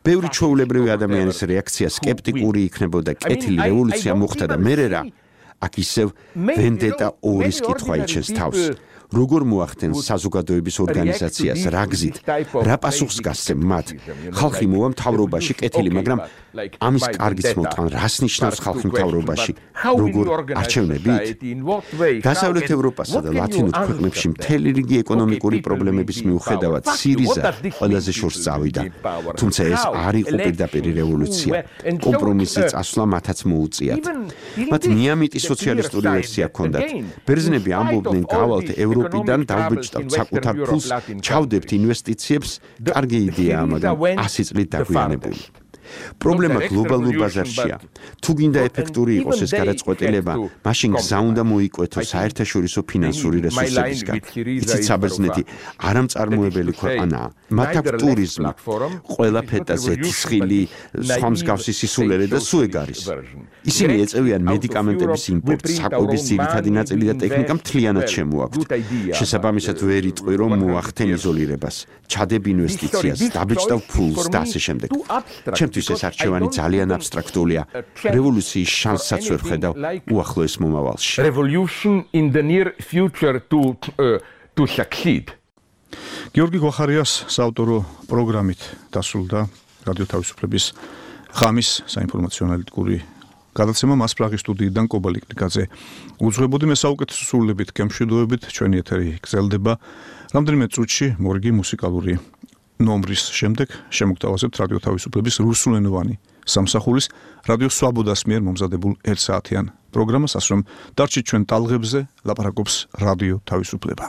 ბევრი ჩვეულებრივი ადამიანის რეაქცია სკეპტიკური იქნებოდა, კეთილი რევოლუცია მოხდა და მერე რა? აქ ისევ ვენდეტა ორის კითხვა იჩენს თავს. როგორ მოახდენ საზოგადოების ორგანიზაციას, რა გზით, რა პასუხს გასცემ მათ? ხალხი მოვა მთავრობაში კეთილი, მაგრამ ამის კარგიც მოტყან, რას ნიშნავს ხალხი მთავრობაში? როგორ არჩევნებით? დასავლეთ ევროპასა და ლათინურ ქვეყნებში მთელი რიგი ეკონომიკური პრობლემების მიუხედავად სირიზა ყველაზე შორს წავიდა. თუმცა ეს არ იყო პირდაპირი რევოლუცია. კომპრომისზე წასვლა მათაც მოუწიათ. მათ მიამიტი სოციალისტური ვერსია ჰქონდათ. ბერძნები ამბობდნენ, გავალთ ევროპიდან დავბეჭდავთ საკუთარ ფულს, ჩავდებთ ინვესტიციებს, კარგი იდეაა, მაგრამ ასი წლით დაგვიანებული. პრობლემა გლობალურ ბაზარშია. თუ გინდა ეფექტური იყოს ეს გადაწყვეტილება, მაშინ გზა უნდა მოიკვეთოს საერთაშორისო ფინანსური რესურსებისგან. იცით, საბერძნეთი არამწარმოებელი ქვეყანაა. მათ აქვს ტურიზმი, ყველა ფეტა ზეთისხილი, სხვა მსგავსი სისულელე და სუეგ არის. ისინი ეწევიან მედიკამენტების იმპორტს, საკვების ძირითადი ნაწილი და ტექნიკა მთლიანად შემოაქვთ. შესაბამისად ვერ იტყვი, რომ მოახდენ იზოლირებას, ჩადებ ინვესტიციას, დაბეჭდავ ფულს და ასე შემდეგ. ჩემთვის ეს არჩევანი ძალიან აბსტრაქტულია. რევოლუციის შანსსაც ვერ ხედავ უახლოეს მომავალში. Revolution in the near future to uh, to succeed. გიორგი გვახარიას საავტორო პროგრამით დასრულდა რადიო თავისუფლების ღამის საინფორმაციო ანალიტიკური გადაცემა მას პრაღის სტუდიიდან კობალი კლიკაძე. უძღვებოდი მე საუკეთესო სრულებით, გემშვიდობებით, ჩვენი ეთერი გრძელდება. რამდენიმე წუთში მორგი მუსიკალური ნომრის შემდეგ შემოგთავაზებთ რადიო თავისუფლების რუსულენოვანი სამსახურის რადიო სვაბოდას მიერ მომზადებულ ერთ საათიან პროგრამას, ასე რომ დარჩით ჩვენ ტალღებზე, ლაპარაკობს რადიო თავისუფლება.